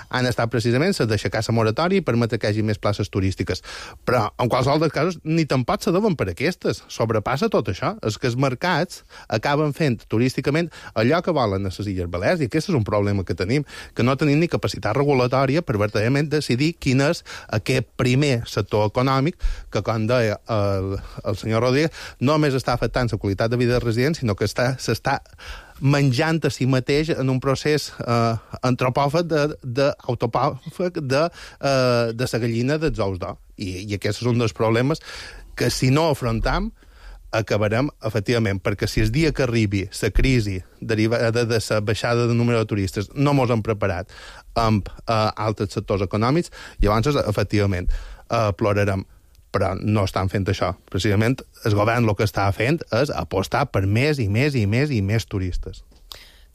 han estat precisament les d'aixecar la moratòria i permetre que hi hagi més places turístiques. Però, en qualsevol dels casos, ni tampoc se deuen per aquestes. Sobrepassa tot això. És que els mercats acaben fent turísticament allò que volen a les Illes Balears, i aquest és un problema que tenim, que no tenim ni capacitat regulatòria per verdaderament decidir quin és aquest primer sector econòmic que, com deia el, el senyor Rodríguez, no només està afectant la qualitat de vida dels residents, sinó que s'està menjant a si mateix en un procés eh, antropòfag d'autopòfag de, eh, de la gallina dels ous d'or. I, I aquest és un dels problemes que, si no afrontam, acabarem, efectivament, perquè si el dia que arribi la crisi derivada de la baixada de número de turistes no mos hem preparat amb eh, altres sectors econòmics, llavors, efectivament, eh, plorarem. Però no estan fent això. Precisament, el govern el que està fent és apostar per més i més i més i més turistes.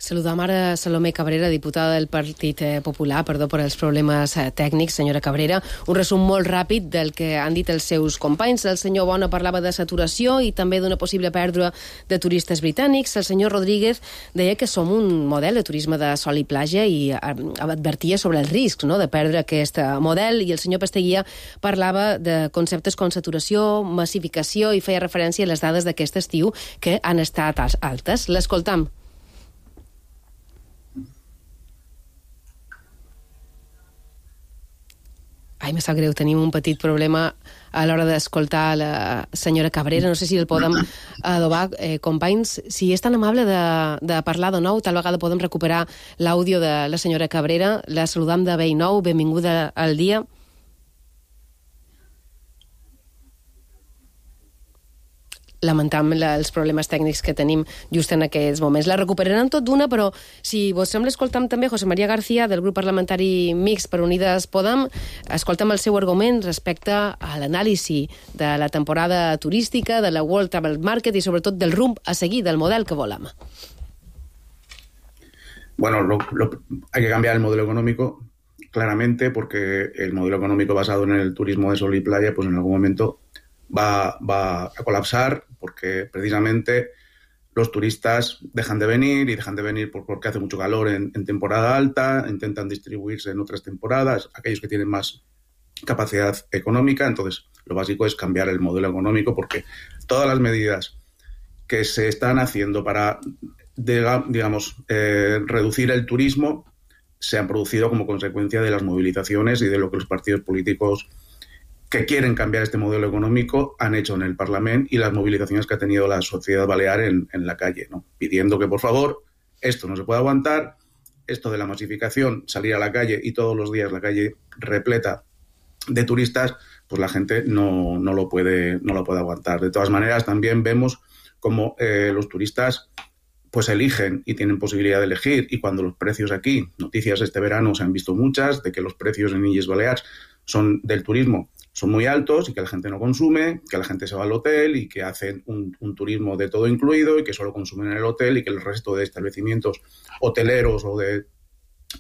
Saludam ara Salomé Cabrera, diputada del Partit Popular. Perdó per els problemes tècnics, senyora Cabrera. Un resum molt ràpid del que han dit els seus companys. El senyor Bona parlava de saturació i també d'una possible pèrdua de turistes britànics. El senyor Rodríguez deia que som un model de turisme de sol i platja i advertia sobre els riscs, no?, de perdre aquest model. I el senyor Pasteguia parlava de conceptes com saturació, massificació, i feia referència a les dades d'aquest estiu que han estat altes. L'escoltam. Ai, me sap greu, tenim un petit problema a l'hora d'escoltar la senyora Cabrera. No sé si el podem adobar. Eh, companys, si és tan amable de, de parlar de nou, tal vegada podem recuperar l'àudio de la senyora Cabrera. La saludam de vell nou. Benvinguda al dia. lamentam els problemes tècnics que tenim just en aquests moments. La recuperarem tot d'una, però si vos sembla, escoltam també José María García, del grup parlamentari Mixt per Unides Podem, escoltam el seu argument respecte a l'anàlisi de la temporada turística, de la World Travel Market i sobretot del rumb a seguir, del model que volem. Bueno, lo, lo, hay que cambiar el modelo económico claramente, porque el modelo económico basado en el turismo de sol y playa, pues en algún momento va, va a colapsar, porque precisamente los turistas dejan de venir y dejan de venir porque hace mucho calor en, en temporada alta, intentan distribuirse en otras temporadas, aquellos que tienen más capacidad económica. Entonces, lo básico es cambiar el modelo económico, porque todas las medidas que se están haciendo para, digamos, eh, reducir el turismo se han producido como consecuencia de las movilizaciones y de lo que los partidos políticos que quieren cambiar este modelo económico han hecho en el Parlamento y las movilizaciones que ha tenido la sociedad balear en, en la calle, ¿no? Pidiendo que, por favor, esto no se puede aguantar, esto de la masificación, salir a la calle y todos los días la calle repleta de turistas, pues la gente no, no, lo, puede, no lo puede aguantar. De todas maneras, también vemos cómo eh, los turistas pues eligen y tienen posibilidad de elegir, y cuando los precios aquí, noticias este verano se han visto muchas, de que los precios en Illes Balears son del turismo son muy altos y que la gente no consume, que la gente se va al hotel y que hacen un, un turismo de todo incluido y que solo consumen en el hotel, y que el resto de establecimientos hoteleros o de,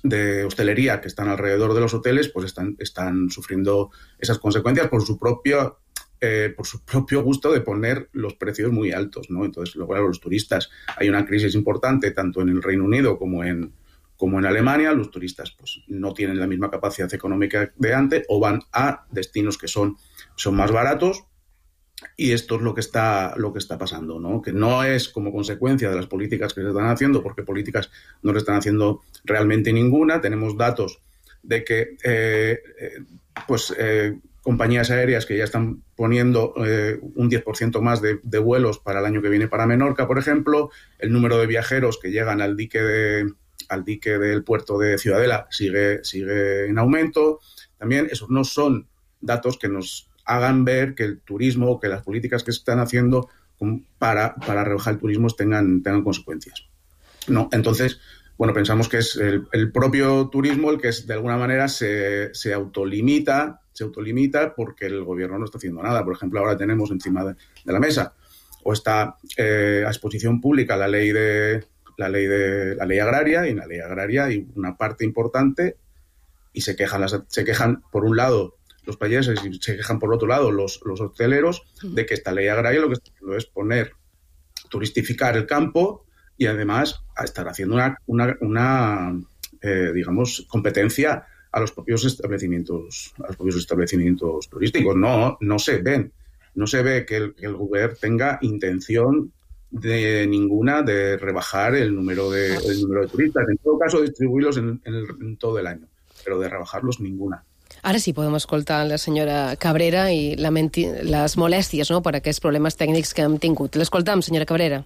de hostelería que están alrededor de los hoteles pues están, están sufriendo esas consecuencias por su propio Eh, por su propio gusto de poner los precios muy altos, ¿no? Entonces, luego, claro, los turistas, hay una crisis importante tanto en el Reino Unido como en, como en Alemania. Los turistas pues no tienen la misma capacidad económica de antes o van a destinos que son, son más baratos, y esto es lo que está, lo que está pasando, ¿no? Que no es como consecuencia de las políticas que se están haciendo, porque políticas no se están haciendo realmente ninguna. Tenemos datos de que eh, eh, pues eh, compañías aéreas que ya están poniendo eh, un diez por ciento más de, de vuelos para el año que viene para Menorca, por ejemplo. El número de viajeros que llegan al dique de, al dique del puerto de Ciudadela sigue, sigue en aumento. También esos no son datos que nos hagan ver que el turismo, que las políticas que se están haciendo para, para rebajar el turismo tengan, tengan consecuencias, ¿no? Entonces, bueno, pensamos que es el, el propio turismo el que es, de alguna manera se, se autolimita se autolimita porque el gobierno no está haciendo nada. Por ejemplo, ahora tenemos encima de, de la mesa o está eh, a exposición pública la ley de la ley de la ley agraria, y en la ley agraria hay una parte importante y se quejan las, se quejan por un lado los payeses y se quejan por otro lado los, los hosteleros de que esta ley agraria lo que está haciendo es poner turistificar el campo y además a estar haciendo una, una, una eh, digamos, competencia a los propios establecimientos, a los propios establecimientos turísticos. No, no se ven, no se ve que el, que el gobierno tenga intención de ninguna de rebajar el número de, el número de turistas. En todo caso, distribuirlos en, en, el, en todo el año, pero de rebajarlos ninguna. Ara sí podem escoltar la senyora Cabrera i lamenti les molèsties, no?, per aquests problemes tècnics que hem tingut. L'escoltam, senyora Cabrera.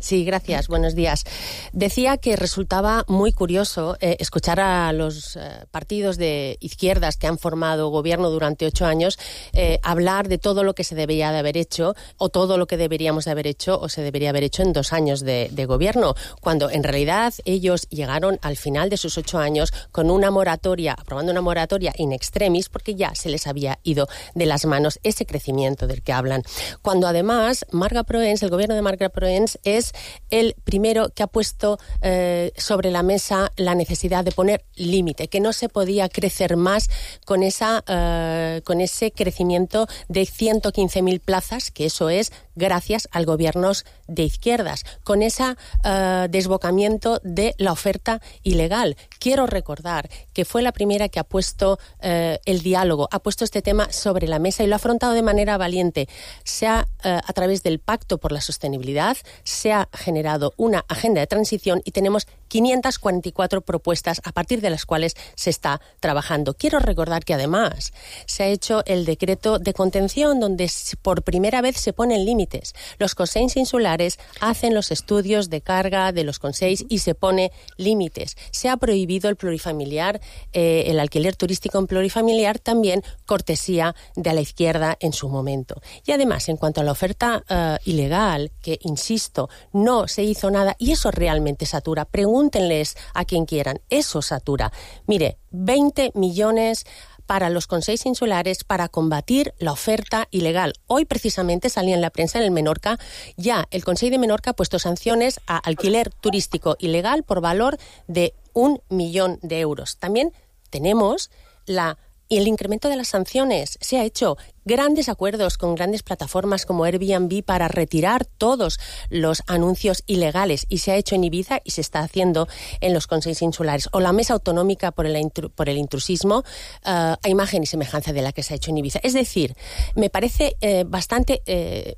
Sí, gracias. Buenos días. Decía que resultaba muy curioso eh, escuchar a los eh, partidos de izquierdas que han formado gobierno durante ocho años eh, hablar de todo lo que se debería de haber hecho o todo lo que deberíamos de haber hecho o se debería haber hecho en dos años de, de gobierno, cuando en realidad ellos llegaron al final de sus ocho años con una moratoria, aprobando una moratoria in extremis, porque ya se les había ido de las manos ese crecimiento del que hablan. Cuando además Marga Proens, el gobierno de Marga Proens, es es el primero que ha puesto eh, sobre la mesa la necesidad de poner límite, que no se podía crecer más con, esa, eh, con ese crecimiento de ciento quince mil plazas, que eso es gracias a gobiernos de izquierdas, con ese uh, desbocamiento de la oferta ilegal. Quiero recordar que fue la primera que ha puesto uh, el diálogo, ha puesto este tema sobre la mesa y lo ha afrontado de manera valiente. Se ha, uh, a través del Pacto por la Sostenibilidad, se ha generado una agenda de transición y tenemos quinientas cuarenta y cuatro propuestas a partir de las cuales se está trabajando. Quiero recordar que además se ha hecho el decreto de contención donde por primera vez se ponen límites. Los consells insulares hacen los estudios de carga de los consells y se pone límites. Se ha prohibido el plurifamiliar, eh, el alquiler turístico en plurifamiliar, también cortesía de la izquierda en su momento. Y además, en cuanto a la oferta uh, ilegal, que, insisto, no se hizo nada, y eso realmente satura, pregúntenles a quien quieran, eso satura. Mire, veinte millones para los consells insulares para combatir la oferta ilegal. Hoy precisamente salía en la prensa en el Menorca, ya el Consell de Menorca ha puesto sanciones a alquiler turístico ilegal por valor de un millón de euros. También tenemos la y el incremento de las sanciones. Se ha hecho grandes acuerdos con grandes plataformas como Airbnb para retirar todos los anuncios ilegales, y se ha hecho en Ibiza y se está haciendo en los consells insulares. O la Mesa Autonómica por el, intru- por el intrusismo, uh, a imagen y semejanza de la que se ha hecho en Ibiza. Es decir, me parece eh, bastante eh,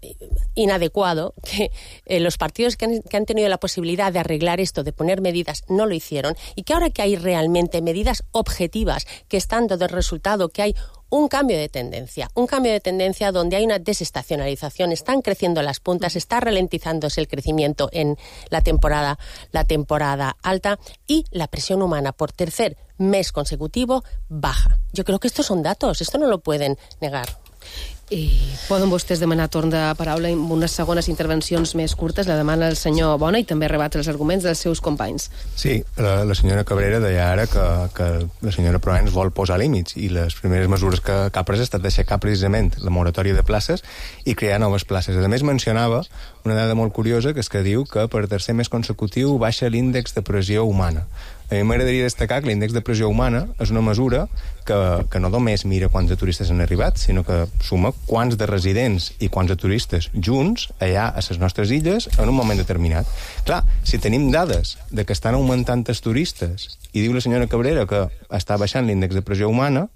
inadecuado que eh, los partidos que han, que han tenido la posibilidad de arreglar esto, de poner medidas, no lo hicieron, y que ahora que hay realmente medidas objetivas que están dando resultado, que hay un cambio de tendencia, un cambio de tendencia donde hay una desestacionalización, están creciendo las puntas, está ralentizándose el crecimiento en la temporada, la temporada alta, y la presión humana por tercer mes consecutivo baja. Yo creo que estos son datos, esto no lo pueden negar. I poden vostès demanar torn de paraula amb unes segones intervencions més curtes? La demana el senyor Bona i també rebatre els arguments dels seus companys. Sí, la, la senyora Cabrera deia ara que, que la senyora Proens vol posar límits, i les primeres mesures que, que ha pres ha estat d'aixecar precisament la moratòria de places i crear noves places. A més, mencionava una dada molt curiosa, que és que diu que per tercer mes consecutiu baixa l'índex de pressió humana. A mi m'agradaria destacar que l'índex de pressió humana és una mesura que, que no només mira quants de turistes han arribat, sinó que suma quants de residents i quants de turistes junts allà a les nostres illes en un moment determinat. Clar, si tenim dades de que estan augmentant els turistes i diu la senyora Cabrera que està baixant l'índex de pressió humana,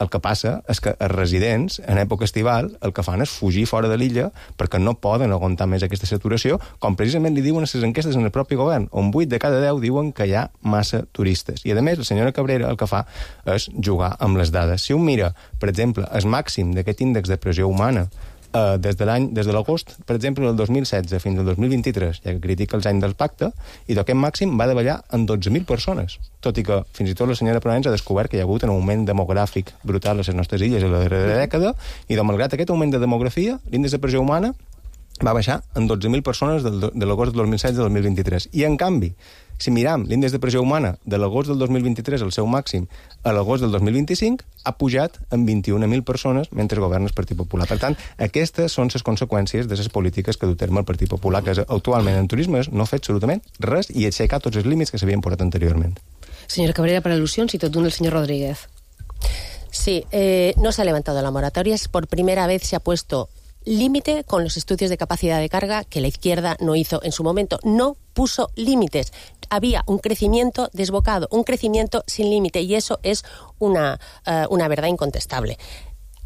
el que passa és que els residents, en època estival, el que fan és fugir fora de l'illa perquè no poden aguantar més aquesta saturació, com precisament li diuen a les enquestes en el propi govern, on vuit de cada deu diuen que hi ha massa turistes. I, a més, la senyora Cabrera el que fa és jugar amb les dades. Si un mira, per exemple, el màxim d'aquest índex de pressió humana Uh, des de l'any, des de l'agost, per exemple, del dos mil setze fins al dos mil vint-i-tres, ja que critica els anys del pacte, i d'aquest màxim va davallar en dotze mil persones, tot i que fins i tot la senyora Proens ha descobert que hi ha hagut un augment demogràfic brutal a les nostres illes en la darrera dècada, i de malgrat aquest augment de demografia, l'índex de pressió humana va baixar en dotze mil persones del, de l'agost del dos mil setze al dos mil vint-i-tres. I, en canvi, si miram l'índex de pressió humana de l'agost del dos mil vint-i-tres, el seu màxim, a l'agost del dos mil vint-i-cinc, ha pujat en vint-i-una mil persones mentre governa el Partit Popular. Per tant, aquestes són les conseqüències de les polítiques que du terme el Partit Popular, que actualment en turisme no ha fet absolutament res i aixecar tots els límits que s'havien posat anteriorment. Senyora Cabrera, per al·lusions, i tot d'un el senyor Rodríguez. Sí, eh, no se ha levantado la moratoria, por primera vez se ha puesto límite con los estudios de capacidad de carga que la izquierda no hizo en su momento. No puso límites. Había un crecimiento desbocado, un crecimiento sin límite, y eso es una, uh, una verdad incontestable.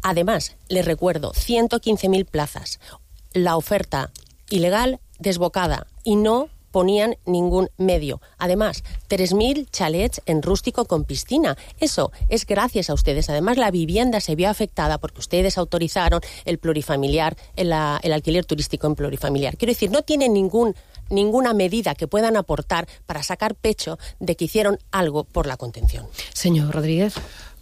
Además, les recuerdo, ciento quince mil plazas, la oferta ilegal desbocada, y no ponían ningún medio. Además, tres mil chalets en rústico con piscina. Eso es gracias a ustedes. Además, la vivienda se vio afectada porque ustedes autorizaron el plurifamiliar, el, el alquiler turístico en plurifamiliar. Quiero decir, no tienen ningún, ninguna medida que puedan aportar para sacar pecho de que hicieron algo por la contención. Señor Rodríguez.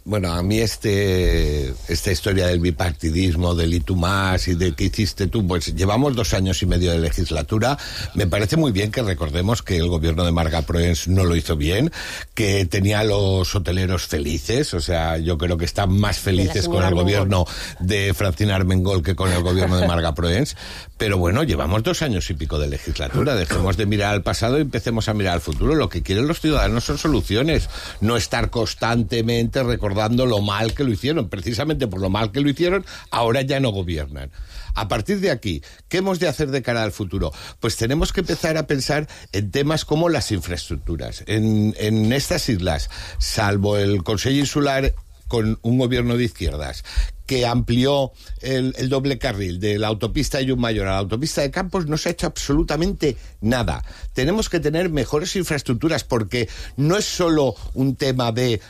Bueno, a mí este esta historia del bipartidismo, del y tú más y de qué hiciste tú, pues llevamos dos años y medio de legislatura. Me parece muy bien que recordemos que el gobierno de Marga Proens no lo hizo bien, que tenía a los hoteleros felices, o sea, yo creo que están más felices con el Armengol. Gobierno de Francina Armengol que con el gobierno de Marga Proens. Pero bueno, llevamos dos años y pico de legislatura, dejemos de mirar al pasado y empecemos a mirar al futuro. Lo que quieren los ciudadanos son soluciones, no estar constantemente recordando dando lo mal que lo hicieron. Precisamente por lo mal que lo hicieron, ahora ya no gobiernan. A partir de aquí, ¿qué hemos de hacer de cara al futuro? Pues tenemos que empezar a pensar en temas como las infraestructuras. En, en estas islas, salvo el Consell Insular con un gobierno de izquierdas que amplió el, el doble carril de la autopista de Llucmayor a la autopista de Campos, no se ha hecho absolutamente nada. Tenemos que tener mejores infraestructuras, porque no es solo un tema de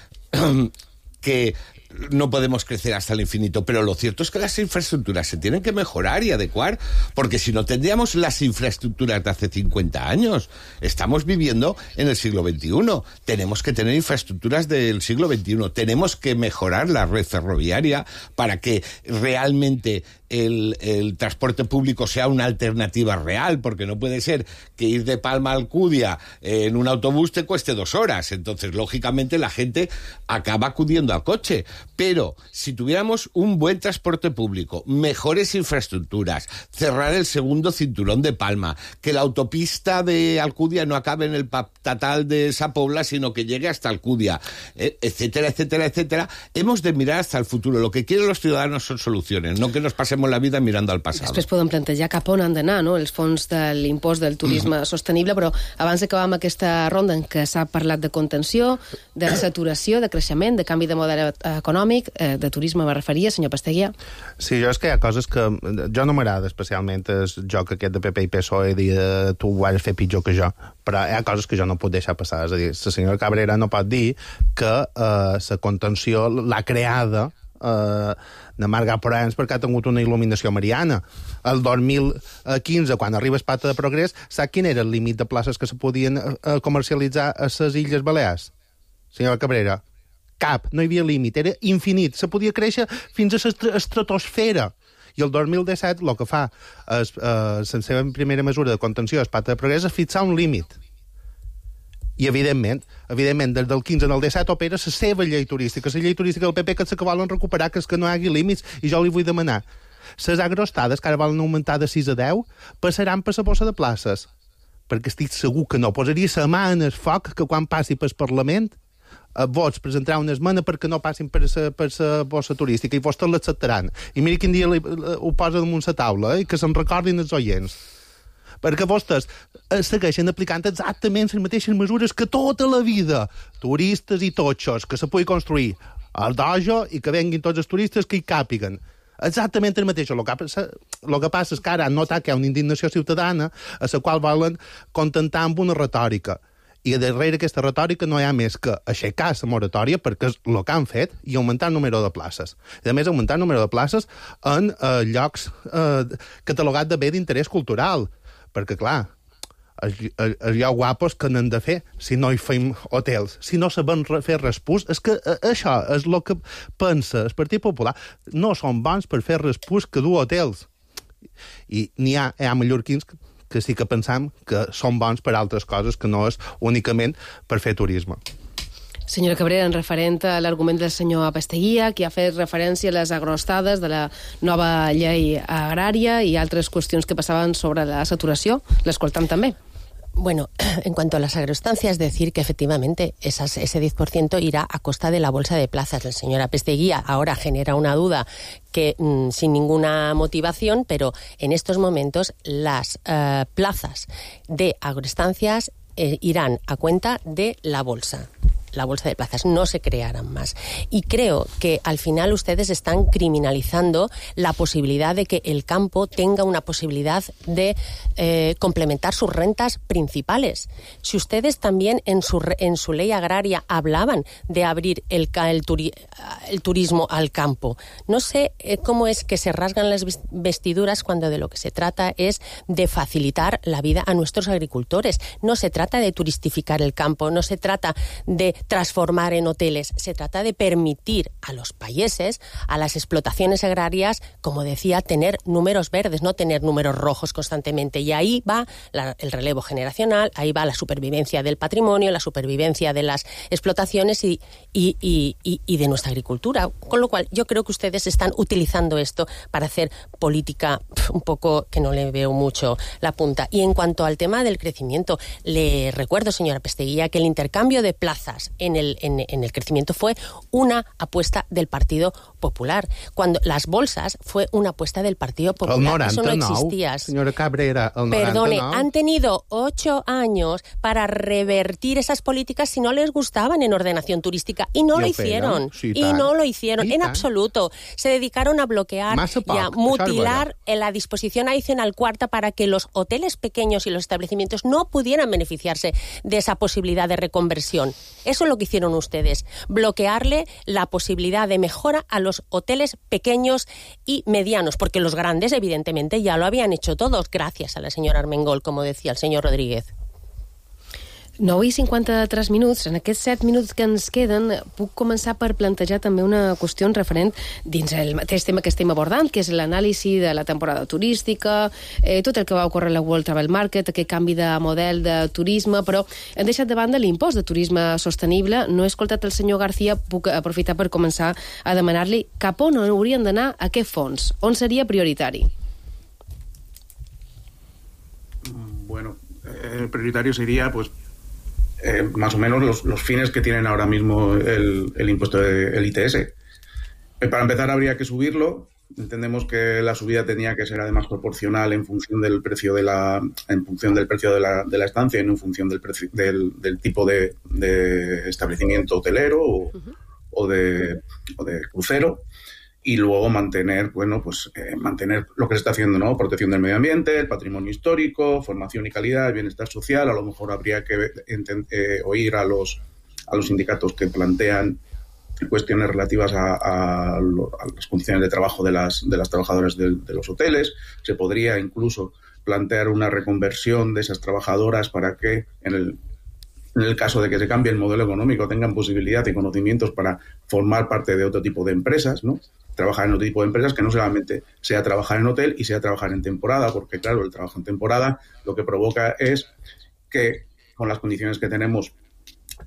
que no podemos crecer hasta el infinito, pero lo cierto es que las infraestructuras se tienen que mejorar y adecuar, porque si no tendríamos las infraestructuras de hace cincuenta años. Estamos viviendo en el siglo veintiuno. Tenemos que tener infraestructuras del siglo veintiuno. Tenemos que mejorar la red ferroviaria para que realmente el, el transporte público sea una alternativa real, porque no puede ser que ir de Palma a Alcudia en un autobús te cueste dos horas. Entonces, lógicamente, la gente acaba acudiendo al coche. Pero si tuviéramos un buen transporte público, mejores infraestructuras, cerrar el segundo cinturón de Palma, que la autopista de Alcudia no acabe en el Patatal de Sa Pobla, sino que llegue hasta Alcudia, etcétera, etcétera, etcétera, hemos de mirar hasta el futuro. Lo que quieren los ciudadanos son soluciones, no que nos pasemos la vida mirando al passat. Després podem plantejar cap on han d'anar, no?, els fons de l'impost del turisme mm. sostenible, però abans d'acabar amb aquesta ronda en què s'ha parlat de contenció, de saturació, de creixement, de canvi de model econòmic, eh, de turisme me referia, senyor Pasteguia. Sí, jo és que hi ha coses que... Jo no m'agrada especialment el joc aquest de P P i P S O E, dir eh, tu ho has de fer pitjor que jo, però hi ha coses que jo no puc deixar passar. És a dir, la senyora Cabrera no pot dir que la eh, contenció l'ha creada eh, de Marga Porens perquè ha tingut una il·luminació mariana. El dos mil quinze, quan arriba el Pacte de Progrés, sap quin era el límit de places que se podien eh, comercialitzar a les Illes Balears? Senyora Cabrera, cap, no hi havia límit, era infinit, se podia créixer fins a l'estratosfera. I el dos mil disset el que fa és, eh, la seva primera mesura de contenció del Pacte de Progrés és fixar un límit. I, evidentment, evidentment des del quinze al disset opera la seva llei turística, la llei turística del P P, que és que volen recuperar, que és que no hi hagi límits, i jo li vull demanar. Les agrostades, que ara volen augmentar de sis a deu, passaran per la bossa de places, perquè estic segur que no posaria la mà en el foc que quan passi pel Parlament a vots presentarà una esmena perquè no passin per la, per la bossa turística, i vostès l'acceptaran. I miri quin dia li, ho posa damunt la taula, eh, i que se'n recordin els oients. Perquè vostès segueixen aplicant exactament les mateixes mesures que tota la vida. Turistes i totxos, que se pugui construir el dojo i que venguin tots els turistes que hi càpiguen. Exactament el mateix. El que passa, el que passa és que ara han notat que hi ha una indignació ciutadana a la qual volen contentar amb una retòrica. I darrere aquesta retòrica no hi ha més que aixecar la moratòria, perquè és el que han fet, i augmentar el número de places. I a més, augmentar el número de places en eh, llocs eh, catalogats de bé d'interès cultural. Perquè, clar, els, els, els llocs guapos que n'han de fer si no hi fem hotels, si no sabem fer respús. És que eh, això és el que pensa el Partit Popular. No són bons per fer respús que dur hotels. I n'hi ha, hi ha mallorquins que que sí que pensam que són bons per altres coses, que no és únicament per fer turisme. Senyora Cabrera, en referent a l'argument del senyor Pasteguia, que ha fet referència a les agrostades de la nova llei agrària i altres qüestions que passaven sobre la saturació, l'escoltam també. Bueno, en cuanto a las agroestancias, decir que efectivamente esas, ese diez por ciento irá a costa de la bolsa de plazas. El señor Apesteguía ahora genera una duda que mmm, sin ninguna motivación, pero en estos momentos las eh, plazas de agroestancias eh, irán a cuenta de la bolsa. La bolsa de plazas, no se crearán más. Y creo que al final ustedes están criminalizando la posibilidad de que el campo tenga una posibilidad de eh, complementar sus rentas principales. Si ustedes también en su, en su ley agraria hablaban de abrir el, el, turi, el turismo al campo, no sé eh, cómo es que se rasgan las vestiduras cuando de lo que se trata es de facilitar la vida a nuestros agricultores. No se trata de turistificar el campo, no se trata de transformar en hoteles. Se trata de permitir a los países, a las explotaciones agrarias, como decía, tener números verdes, no tener números rojos constantemente. Y ahí va la, el relevo generacional, ahí va la supervivencia del patrimonio, la supervivencia de las explotaciones y, y, y, y, y de nuestra agricultura. Con lo cual, yo creo que ustedes están utilizando esto para hacer política un poco que no le veo mucho la punta. Y en cuanto al tema del crecimiento, le recuerdo, señora Pasteguía, que el intercambio de plazas en el, en, en el crecimiento fue una apuesta del Partido Popular. Cuando las bolsas fue una apuesta del Partido Popular. El noranta y nou, eso no existía. señora Cabrera, el noranta y nou. Perdone, han tenido ocho años para revertir esas políticas si no les gustaban en ordenación turística y no I lo ho hicieron. feien, sí, y tant. no lo hicieron I en tant. absoluto. Se dedicaron a bloquear Massa y a poc, mutilar en la disposición adicional cuarta para que los hoteles pequeños y los establecimientos no pudieran beneficiarse de esa posibilidad de reconversión. Eso es lo que hicieron ustedes, bloquearle la posibilidad de mejora a los hoteles pequeños y medianos, porque los grandes, evidentemente, ya lo habían hecho todos, gracias a la señora Armengol, como decía el señor Rodríguez. nou i cinquanta-tres minuts. En aquests set minuts que ens queden puc començar per plantejar també una qüestió referent dins el mateix tema que estem abordant, que és l'anàlisi de la temporada turística, eh, tot el que va ocórrer a la World Travel Market, aquest canvi de model de turisme, però hem deixat de banda l'impost de turisme sostenible. No he escoltat el senyor García, puc aprofitar per començar a demanar-li cap on haurien d'anar aquest fons, on seria prioritari. Bueno, eh, prioritario sería, pues, Eh, más o menos los, los fines que tienen ahora mismo el, el impuesto del I T S. Eh, para empezar habría que subirlo. Entendemos que la subida tenía que ser además proporcional en función del precio de la en función del precio de la, de la estancia y no en función del precio del, del tipo de, de establecimiento hotelero o, uh-huh. o de o de crucero. Y luego mantener, bueno, pues eh, mantener lo que se está haciendo, ¿no? Protección del medio ambiente, el patrimonio histórico, formación y calidad, el bienestar social. A lo mejor habría que enten- eh, oír a los a los sindicatos que plantean cuestiones relativas a, a, lo, a las condiciones de trabajo de las de las trabajadoras de, de los hoteles. Se podría incluso plantear una reconversión de esas trabajadoras para que en el en el caso de que se cambie el modelo económico tengan posibilidad y conocimientos para formar parte de otro tipo de empresas, ¿no? Trabajar en otro tipo de empresas que no solamente sea trabajar en hotel y sea trabajar en temporada, porque claro, el trabajo en temporada lo que provoca es que con las condiciones que tenemos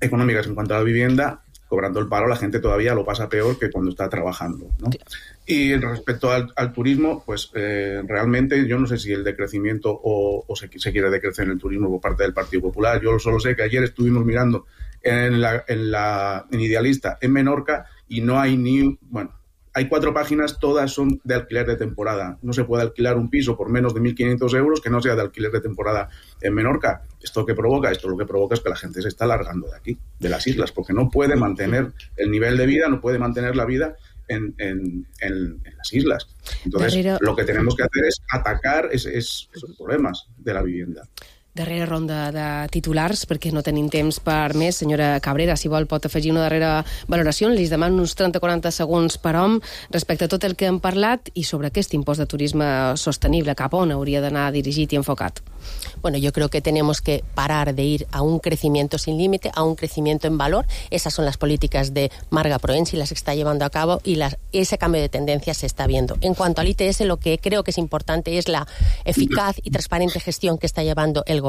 económicas en cuanto a la vivienda, cobrando el paro, la gente todavía lo pasa peor que cuando está trabajando, ¿no? Y respecto al, al turismo, pues eh, realmente yo no sé si el decrecimiento o, o se, se quiere decrecer en el turismo por parte del Partido Popular. Yo solo sé que ayer estuvimos mirando en la, en la en Idealista, en Menorca, y no hay ni, bueno, hay cuatro páginas, todas son de alquiler de temporada. No se puede alquilar un piso por menos de mil quinientos euros que no sea de alquiler de temporada en Menorca. ¿Esto qué provoca? Esto lo que provoca es que la gente se está largando de aquí, de las islas, porque no puede mantener el nivel de vida, no puede mantener la vida en, en, en, en las islas. Entonces, Darrere... lo que tenemos que hacer es atacar es, es, esos problemas de la vivienda. Darrera ronda de titulars, perquè no tenim temps per més. Senyora Cabrera, si vol, pot afegir una darrera valoració. Li demano uns trenta a quaranta segons per hom respecte a tot el que hem parlat i sobre aquest impost de turisme sostenible, cap on hauria d'anar dirigit i enfocat. Bueno, yo creo que tenemos que parar de ir a un crecimiento sin límite, a un crecimiento en valor. Esas son las políticas de Marga Proensi, las que está llevando a cabo, y las, ese cambio de tendencia se está viendo. En cuanto al I T S, lo que creo que es importante es la eficaz y transparente gestión que está llevando el Gobierno,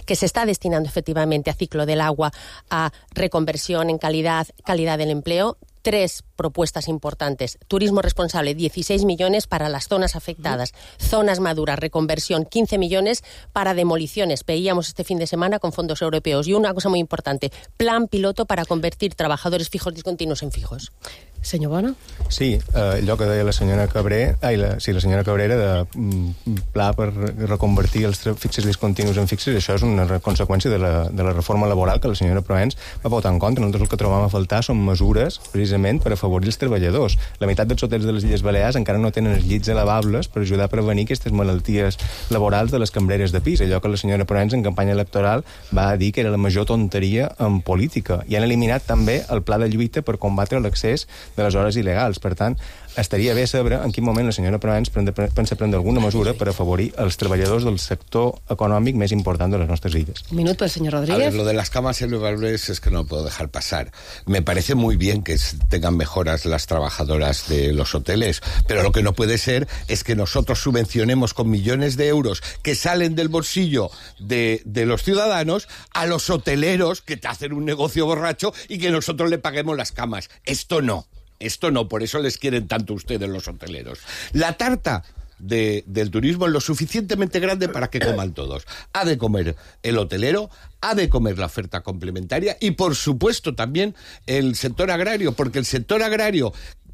que se está destinando efectivamente a ciclo del agua, a reconversión en calidad, calidad del empleo. Tres propuestas importantes. Turismo responsable, dieciséis millones para las zonas afectadas. Zonas maduras, reconversión, quince millones para demoliciones. Veíamos este fin de semana con fondos europeos. Y una cosa muy importante, plan piloto para convertir trabajadores fijos discontinuos en fijos. Senyor Bona? Sí, eh, allò que deia la senyora Cabré, ai, la, sí, la senyora Cabrera de mm, pla per reconvertir els fixes discontinus en fixes, això és una conseqüència de la, de la reforma laboral que la senyora Proens va votar en contra. Nosaltres el que trobam a faltar són mesures precisament per afavorir els treballadors. La meitat dels hotels de les Illes Balears encara no tenen els llits elevables per ajudar a prevenir aquestes malalties laborals de les cambreres de pis, allò que la senyora Proens en campanya electoral va dir que era la major tonteria en política. I han eliminat també el pla de lluita per combatre l'accés de les hores il·legals. Per tant, estaria bé saber en quin moment la senyora Proens pensa prendre alguna mesura per afavorir els treballadors del sector econòmic més important de les nostres illes. Un minut pel señor Rodríguez. A ver, lo de las camas elevables es que no lo puedo dejar pasar. Me parece muy bien que tengan mejoras las trabajadoras de los hoteles, pero lo que no puede ser es que nosotros subvencionemos con millones de euros que salen del bolsillo de, de los ciudadanos a los hoteleros que te hacen un negocio borracho y que nosotros le paguemos las camas. Esto no. Esto no, por eso les quieren tanto ustedes los hoteleros. La tarta de, del turismo es lo suficientemente grande para que coman todos. Ha de comer el hotelero, ha de comer la oferta complementaria y, por supuesto, también el sector agrario, porque el sector agrario,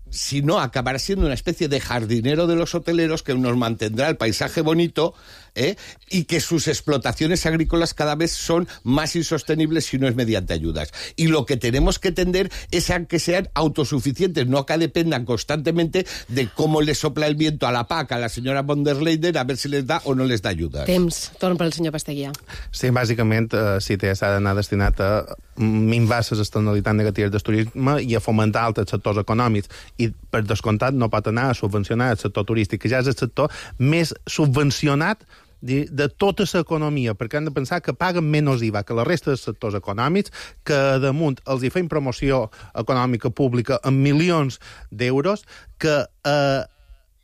si no, acabará siendo una especie de jardinero de los hoteleros que nos mantendrá el paisaje bonito, ¿eh? Y que sus explotaciones agrícolas cada vez son más insostenibles si no es mediante ayudas. Y lo que tenemos que tender es a que sean autosuficientes, no a que dependan constantemente de cómo les sopla el viento a la P A C, a la senyora von der Leyen, a ver si les da o no les da ayudas. Temps. Torn per al senyor Pasteguià. Sí, bàsicament, eh, sí, s'ha d'anar destinat a minvar les externalitats negatives del turisme i a fomentar altres sectors econòmics. I, per descomptat, no pot anar a subvencionar el sector turístic, que ja és el sector més subvencionat de, de tota l'economia, perquè han de pensar que paguen menys I V A que la resta dels sectors econòmics, que damunt els hi feim promoció econòmica pública amb milions d'euros, que, eh,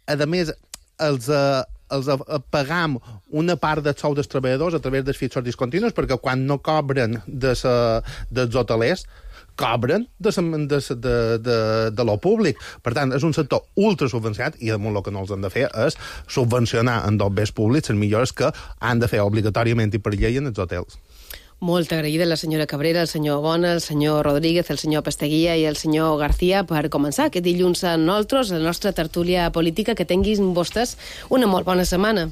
a més, els... Eh, els pagam una part del sou dels treballadors a través dels fixos discontinus, perquè quan no cobren de sa, dels hotelers, cobren de, de, de, de, de lo públic. Per tant, és un sector ultra subvencionat i damunt el que no els han de fer és subvencionar en dos béns públics les millores que han de fer obligatòriament i per llei en els hotels. Molt agraïda la senyora Cabrera, el senyor Bona, el senyor Rodríguez, el senyor Pasteguià i el senyor García per començar aquest dilluns a nosaltres, la nostra tertúlia política. Que tinguin vostès una molt bona setmana.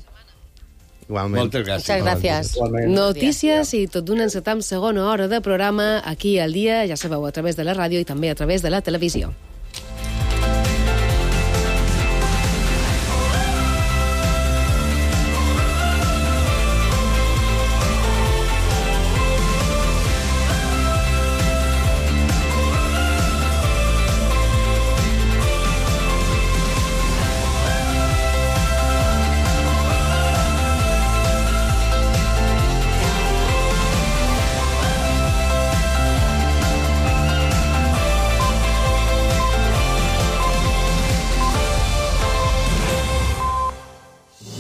Igualment. Moltes gràcies. Muchas gracias. Igualment. Notícies i tot d'una encetam segona hora de programa aquí al dia, ja sabeu, a través de la ràdio i també a través de la televisió.